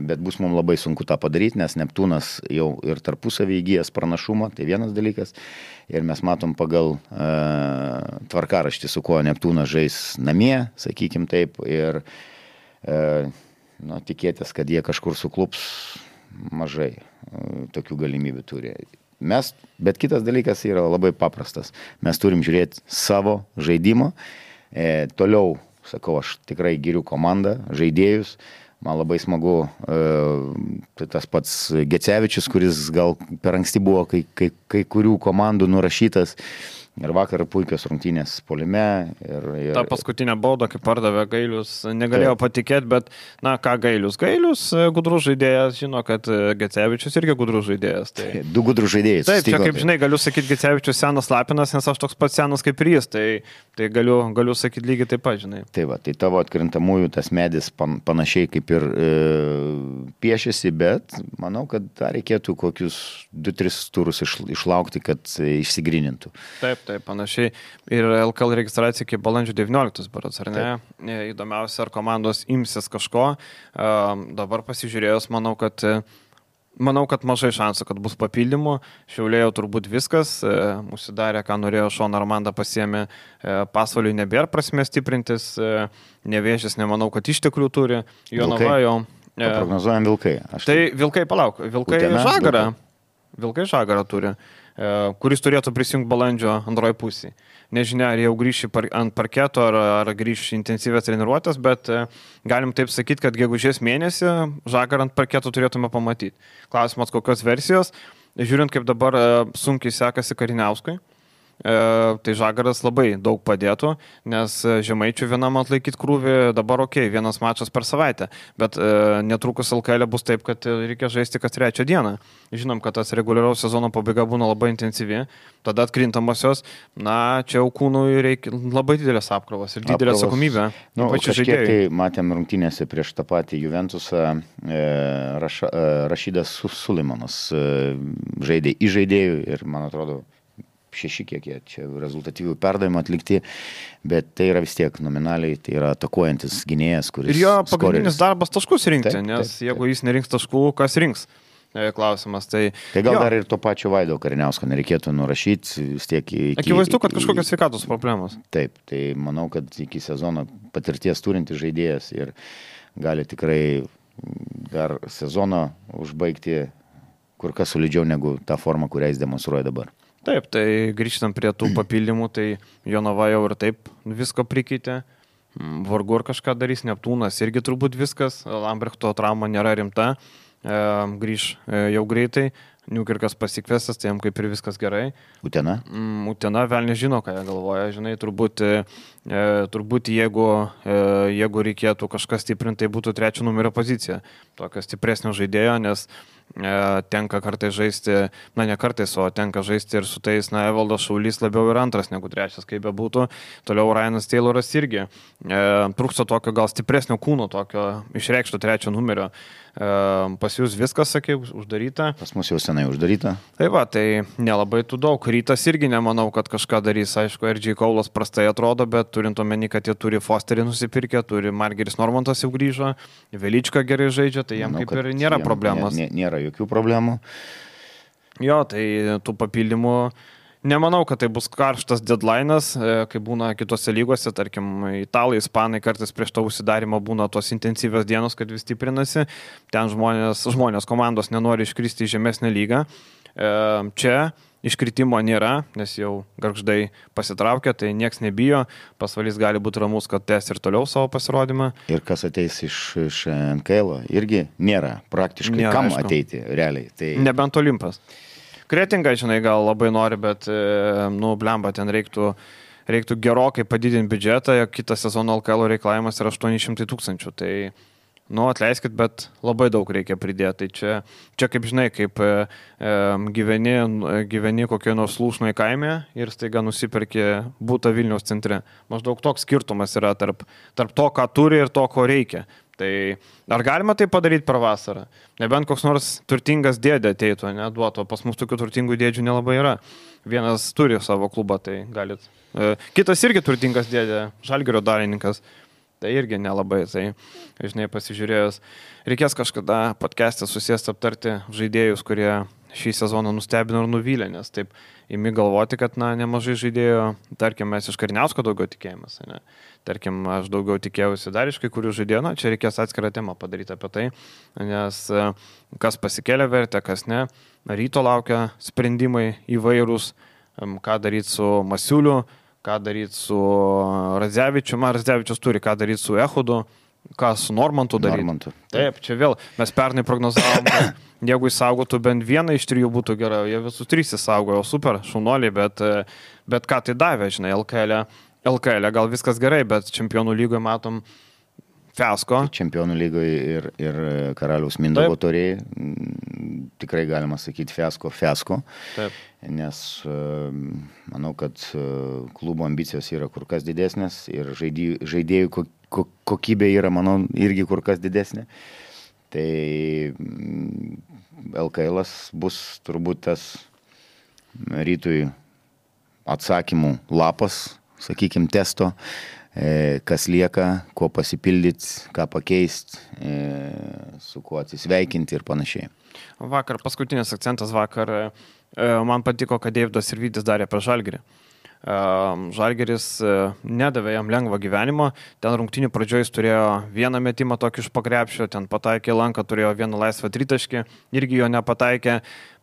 bet bus mums labai sunku tą padaryti, nes Neptūnas jau ir tarpusavį įgyjęs pranašumą, tai vienas dalykas. Ir mes matom pagal tvarkaraštį, su kuo Neptūnas žais namie, sakykim taip, ir tikėtis, kad jie kažkur suklups, mažai tokių galimybių turi. Bet kitas dalykas yra labai paprastas. Mes turim žiūrėti savo žaidimą. Toliau, sakau, aš tikrai giriu komandą, žaidėjus. Man labai smagu tas pats Gecevičius, kuris gal per anksti buvo kai kurių komandų nurašytas. Ir vakar puikios rungtynės puolime. Ta paskutinė bauda, kai pardavė Gailius, negalėjo patikėti, bet, na ką Gailius? Gailius, gudrus žaidėjas, žino, kad Gecevičius irgi gudrus žaidėjas. Tai... Du gudrus žaidėjai. Taip, čia kaip žinai, galiu sakyti Gecevičius senas Lapinas, nes aš toks pats senas kaip ir jis, tai galiu sakyti lygiai taip pat, žinai. Tai va, tai tavo atkrintamųjų tas medis panašiai kaip ir piešėsi, bet manau, kad dar reikėtų kokius 2-3 turus išlaukti, kad išsigrynintų. Taip, panašiai. Ir LKL registracija iki balandžio 19, berods, ar ne? Taip. Įdomiausia, ar komandos imsis kažko. Dabar pasižiūrėjus, manau, kad mažai šansų, kad bus papildymų. Šiaulėjo turbūt viskas. Užsidarė, ką norėjo Šoną Armandą pasiėmė. Pasvaliui nebėra prasmės stiprintis. Nevėžis, nemanau, kad išteklių turi. Jonava jau. Prognozuojam Vilkai. Vilkai, palauk. Vilkai Žagarą. Vilkai Žagarą turi, kuris turėtų prisijungti balandžio antroji pusė. Nežinia, ar jau grįši ant parketo, ar grįši intensyvės treniruotės, bet galim taip sakyti, kad gegužės mėnesį Žagarą ant parketo turėtume pamatyti. Klausimas, kokios versijos. Žiūrint, kaip dabar sunkiai sekasi Kariniauskui, tai Žagaras labai daug padėtų, nes Žemaičių vienam atlaikyti krūvį dabar vienas mačas per savaitę, bet netrukus LKL bus taip, kad reikia žaisti kas 3 dieną. Žinom, kad tas reguliaraus sezono pabaiga būna labai intensyvi, tada atkrintamosios, čia jau kūnui reikia labai didelės apkrovos ir didelė atsakomybė. Kažkiek tai matėm rungtynėse prieš tą patį Juventusą, Rašidas Sulimanas žaidė į žaidėjų ir, man atrodo, 6 kiek jie čia rezultatyvių perdavimų atlikti, bet tai yra vis tiek nominaliai, tai yra atakuojantis gynėjas, kuris... Ir jo pagrindinis darbas taškus rinkti, nes jeigu jis nerinks taškų, kas rinks? Klausimas. Tai gal dar ir to pačio Vaido Kariniausko nereikėtų nurašyti vis tiek Akivaizdu, kad kažkokios sveikatos problemos. Taip, tai manau, kad iki sezono patirties turintis žaidėjas ir gali tikrai dar sezoną užbaigti kur kas solidžiau negu tą formą, kurią jis demonstruoja dabar. Taip, tai grįžtam prie tų papildymų, tai Jonava jau ir taip visko prikeitė, vargu ar kažką darys, Neptūnas irgi turbūt viskas, Lambrechto trauma nėra rimta, grįž jau greitai, Niukirkas pasikvestas, tai jam kaip ir viskas gerai. Utena? Utena, vėl nežino, ką jie galvoja, žinai, turbūt jeigu reikėtų kažkas stiprinti, tai būtų 3 numerio pozicija, tokio stipresnio žaidėjo, nes tenka kartais žaisti, ne kartais, o tenka žaisti ir su tais, Evaldas Šaulys labiau ir 2 negu 3, kaip be būtų. Toliau Ryanas Tayloras irgi. Trūksta tokio gal stipresnio kūno, tokio išreikšto 3 numerio. Pas jūs viskas, sakai, uždaryta. Pas mus jau senai uždaryta. Tai va, tai nelabai tų daug. Rytas irgi nemanau, kad kažką darys. Aišku, RG Kaulas prastai atrodo, bet turint omeny, kad jie turi Fosterį nusipirkę, turi Margeris Normantas jau grįžo, Velička gerai žaidžia, tai jam kaip ir nėra problemos. Nėra jokių problemų. Jo, tai tų papildymų nemanau, kad tai bus karštas deadline'as, kai būna kitose lygose, tarkim, italai, ispanai kartais prieš to užsidarimą būna tos intensyvios dienos, kad vis stiprinasi, ten žmonės komandos nenori iškristi į žemesnę lygą. Čia iškritimo nėra, nes jau Gargždai pasitraukia, tai nieks nebijo, Pasvalys gali būti ramus, kad tęs ir toliau savo pasirodymą. Ir kas ateis iš NKL irgi nėra praktiškai nėra, kam aišku. Ateiti realiai. Tai... Nebent Olimpas. Kretinga, žinai, gal labai nori, bet, blemba, ten reiktų gerokai padidinti biudžetą, kitą sezoną LKL reikalavimas yra 800 000, tai, atleiskit, bet labai daug reikia pridėti. Tai čia kaip žinai, kaip gyveni kokioje nors Lūšnoje kaime ir staiga nusipirki būtą Vilniaus centre. Maždaug toks skirtumas yra tarp to, ką turi ir to, ko reikia. Tai ar galima tai padaryti per vasarą? Nebent koks nors turtingas dėdė ateitų, duotų, pas mus tokių turtingų dėdžių nelabai yra. Vienas turi savo klubą, tai galit. Kitas irgi turtingas dėdė, Žalgirio dalininkas, tai irgi nelabai. Tai, žinai, pasižiūrėjus, reikės kažkada podcast'e susėsti aptarti žaidėjus, kurie šį sezoną nustebino ir nuvylė, nes taip imi galvoti, kad nemažai žaidėjų, tarkim, mes iš Kariniausko daugiau tikėjimas, ne? Tarkim, aš daugiau tikėjausi dar iš kai kurių žaidėjų, čia reikės atskirą temą padaryti apie tai, nes kas pasikėlė vertę, kas ne, Ryto laukia sprendimai įvairūs, ką daryti su Masiuliu, ką daryti su Radzevičiu, Radzevičius turi ką daryti su Ehudu, Ką su Normantu daryti? Normantu. Taip, čia vėl mes pernai prognozavom, kad jeigu įsaugotų bent vieną iš 3 būtų gerai, jie visus 3 įsaugojo, super, šaunuoliai, bet ką tai davė, žinai, LKL gal viskas gerai, bet Čempionų lygoje matom fiasko. Čempionų lygoje ir Karaliaus Mindaugo taurėje tikrai galima sakyti fiasko. Taip. Nes manau, kad klubo ambicijos yra kur kas didesnės ir žaidėjų kokybė yra, manau, irgi kur kas didesnė. Tai LKL'as bus turbūt tas Rytui atsakymų lapas, sakykime, testo, kas lieka, kuo pasipildyti, ką pakeisti, su kuo atsisveikinti ir panašiai. Vakar, paskutinis akcentas vakar, man patiko, kad Deividas Sirvydis darė prieš Žalgirį. Žalgiris nedavė jam lengvo gyvenimo, ten rungtynių pradžioje jis turėjo vieną metimą tokį iš pakrepšio, ten pataikė lanką, turėjo vieną laisvą tritaškį, irgi jo nepataikė,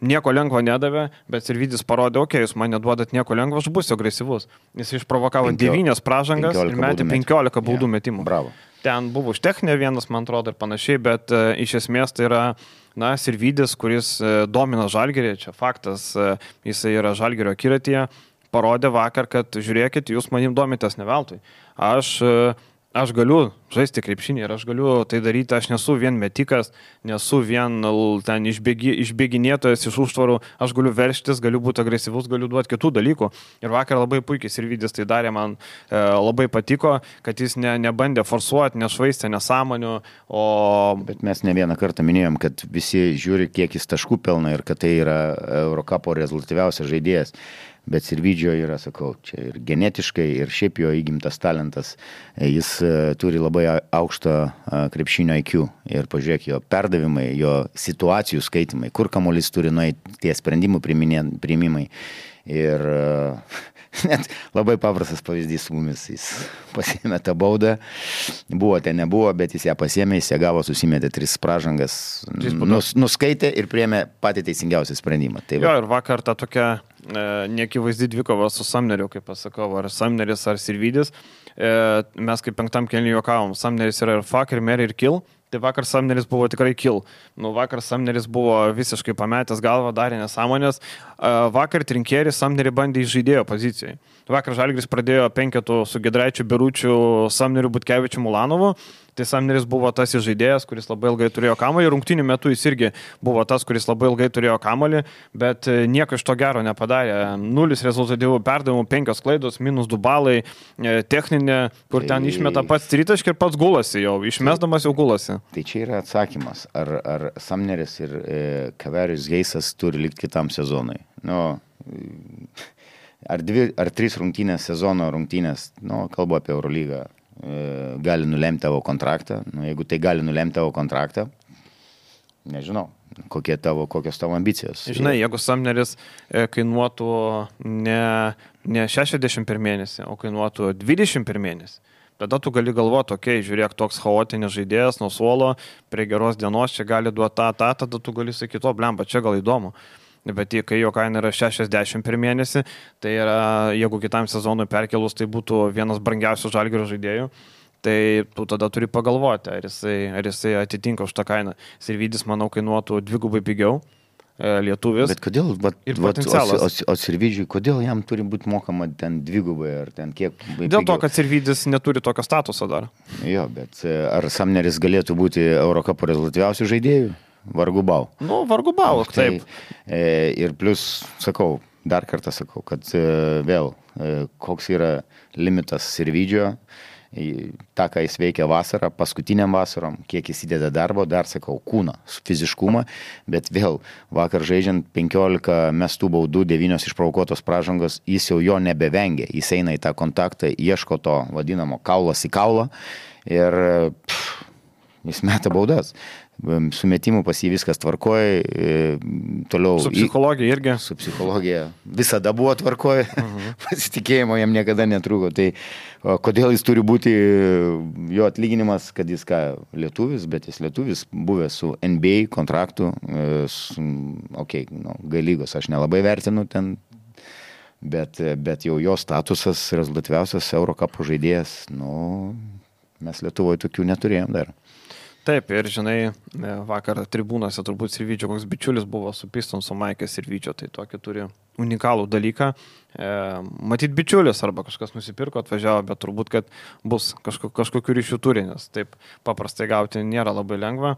nieko lengvo nedavė, bet Sirvydis parodė, jūs man neduodat nieko lengvo, aš būsiu agresyvus. Jis išprovokavo 9 pražangas ir metė 15 baudų metimų. Bravo. Ten buvo už techninę vienas, man atrodo, ir panašiai, bet iš esmės tai yra, Sirvydis, kuris domina Žalgirį, čia faktas, jisai yra Žalgirio akiratyje, parodė vakar, kad žiūrėkit, jūs manim domitės ne veltui. Aš galiu žaisti krepšinį ir aš galiu tai daryti, aš nesu vien metikas, nesu vien ten išbėginėtojas iš užtvarų, aš galiu verštis, galiu būti agresyvus, galiu duoti kitų dalykų. Ir vakar labai puikiai Sirvydis tai darė, man labai patiko, kad jis nebandė forsuoti, nešvaistė nesąmonių, o... Bet mes ne vieną kartą minėjom, kad visi žiūri, kiek jis taškų pelna ir kad tai yra Eurokapo rezultatyviausias žaidėjas. Bet Sirvydžio yra, sakau, čia ir genetiškai, ir šiaip jo įgimtas talentas. Jis turi labai aukštą krepšinio IQ. Ir pažiūrėk, jo perdavimai, jo situacijų skaitimai, kur kamuolys turi nueiti, tie sprendimų priimimai. Ir net labai paprastas pavyzdys su mumis. Jis pasiėmė tą baudą, buvo ten nebuvo, bet jis ją pasiėmė, jis ją gavo, susimetė 3 pražangas, nuskaitė ir priėmė patį teisingiausią sprendimą. Tai jo, ir vakar ta tokia neakivaizdi dvikova su Samneriu, kaip pasakau, ar Samneris, ar Sirvydis. Mes kaip 5 kėlinį juokavom, Samneris yra ir fuck, ir Mary, ir kill. Tai vakar Samneris buvo tikrai kill. Vakar Samneris buvo visiškai pametęs galvą, darė nesąmonės. Vakar Trinkėris Samnerį bandė iš žaidėjo pozicijai. Vakar Žalgiris pradėjo 5 su Giedraičiu, Beručiu, Samneriu, Butkevičiu, Mulanovu. Tai Samneris buvo tas žaidėjas, kuris labai ilgai turėjo kamuolį. Rungtynių metu jis irgi buvo tas, kuris labai ilgai turėjo kamuolį, bet nieko iš to gero nepadarė. 0 rezultatyvų perdavimų, 5 klaidos, -2 balai, techninė, kur ten išmeta pats tritaškį ir pats gulasi jau, išmesdamas jau gulasi. Tai čia yra atsakymas, ar Samneris ir Kaverius Geisas turi likti kitam sezonui. Ar 3 rungtynės sezono rungtynės, kalbu apie Eurolygą, gali nulemti tavo kontraktą. Jeigu tai gali nulemti tavo kontraktą, nežinau, kokios tavo ambicijos. Žinai, jeigu Samneris kainuotų ne 60 per mėnesį, o kainuotų 20 per mėnesį, tada tu gali galvoti, žiūrėk, toks chaotinis žaidėjas nuo suolo, prie geros dienos čia gali duoti tada tu gali sakyti, blemba, čia gal įdomu. Bet kai jo kaina yra 60 per mėnesį, tai yra, jeigu kitam sezonui perkelus, tai būtų vienas brangiausių Žalgirio žaidėjų, tai tu tada turi pagalvoti, ar jisai atitinka už tą kainą. Sirvydis, manau, kainuotų 2 pigiau, lietuvis. Bet kodėl, o Sirvydžiui, kodėl jam turi būti mokama ten 2 ar ten kiek? Dėl to, kad Sirvydis neturi tokio statuso dar. Jo, bet ar Samneris galėtų būti Eurokapo rezultatyviausių žaidėjų? Vargu bau. Vargu bau, taip. Ir plus, dar kartą sakau, kad vėl, koks yra limitas Sirvydžio, tą, ką jis veikia vasarą, paskutiniam vasarom, kiek jis įdeda darbo, dar kūną, fiziškumą, bet vėl vakar žaidžiant 15 mestų baudų, 9 išprovokuotos pražangos, jis jau jo nebevengia, jis eina į tą kontaktą, ieško to vadinamo kaulas į kaulą ir jis meta baudas. Sumetimų pas jį viskas tvarkoja, toliau... Su psichologija irgi. Su psichologija visada buvo tvarkoja, pasitikėjimo jam niekada netrūko. Tai kodėl jis turi būti, jo atlyginimas, kad jis lietuvis, bet jis lietuvis buvęs su NBA kontraktu, G-lygos aš nelabai vertinu ten, bet jau jo statusas rezultatyviausias Eurokapo žaidėjas, Mes Lietuvoje tokių neturėjom dar. Taip, ir žinai, vakar tribūnose turbūt Sirvydžio koks bičiulis buvo su Pistonso Maikės Sirvydžio, tai tokį turi unikalų dalyką. Matyt bičiulis arba kažkas nusipirko, atvažiavo, bet turbūt, kad bus kažkokių ryšių turi, nes taip paprastai gauti nėra labai lengva.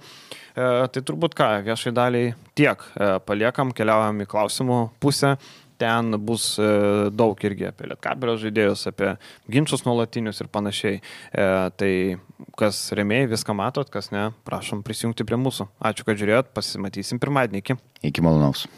Tai turbūt ką, viešai daliai tiek paliekam, keliaujam į klausimų pusę. Ten bus daug irgi apie Lietkabelio žaidėjus, apie ginčus nuolatinius ir panašiai. Tai kas rėmėjai, viską matot, kas ne, prašom prisijungti prie mūsų. Ačiū, kad žiūrėjot, pasimatysim pirmadienį. Iki malonaus.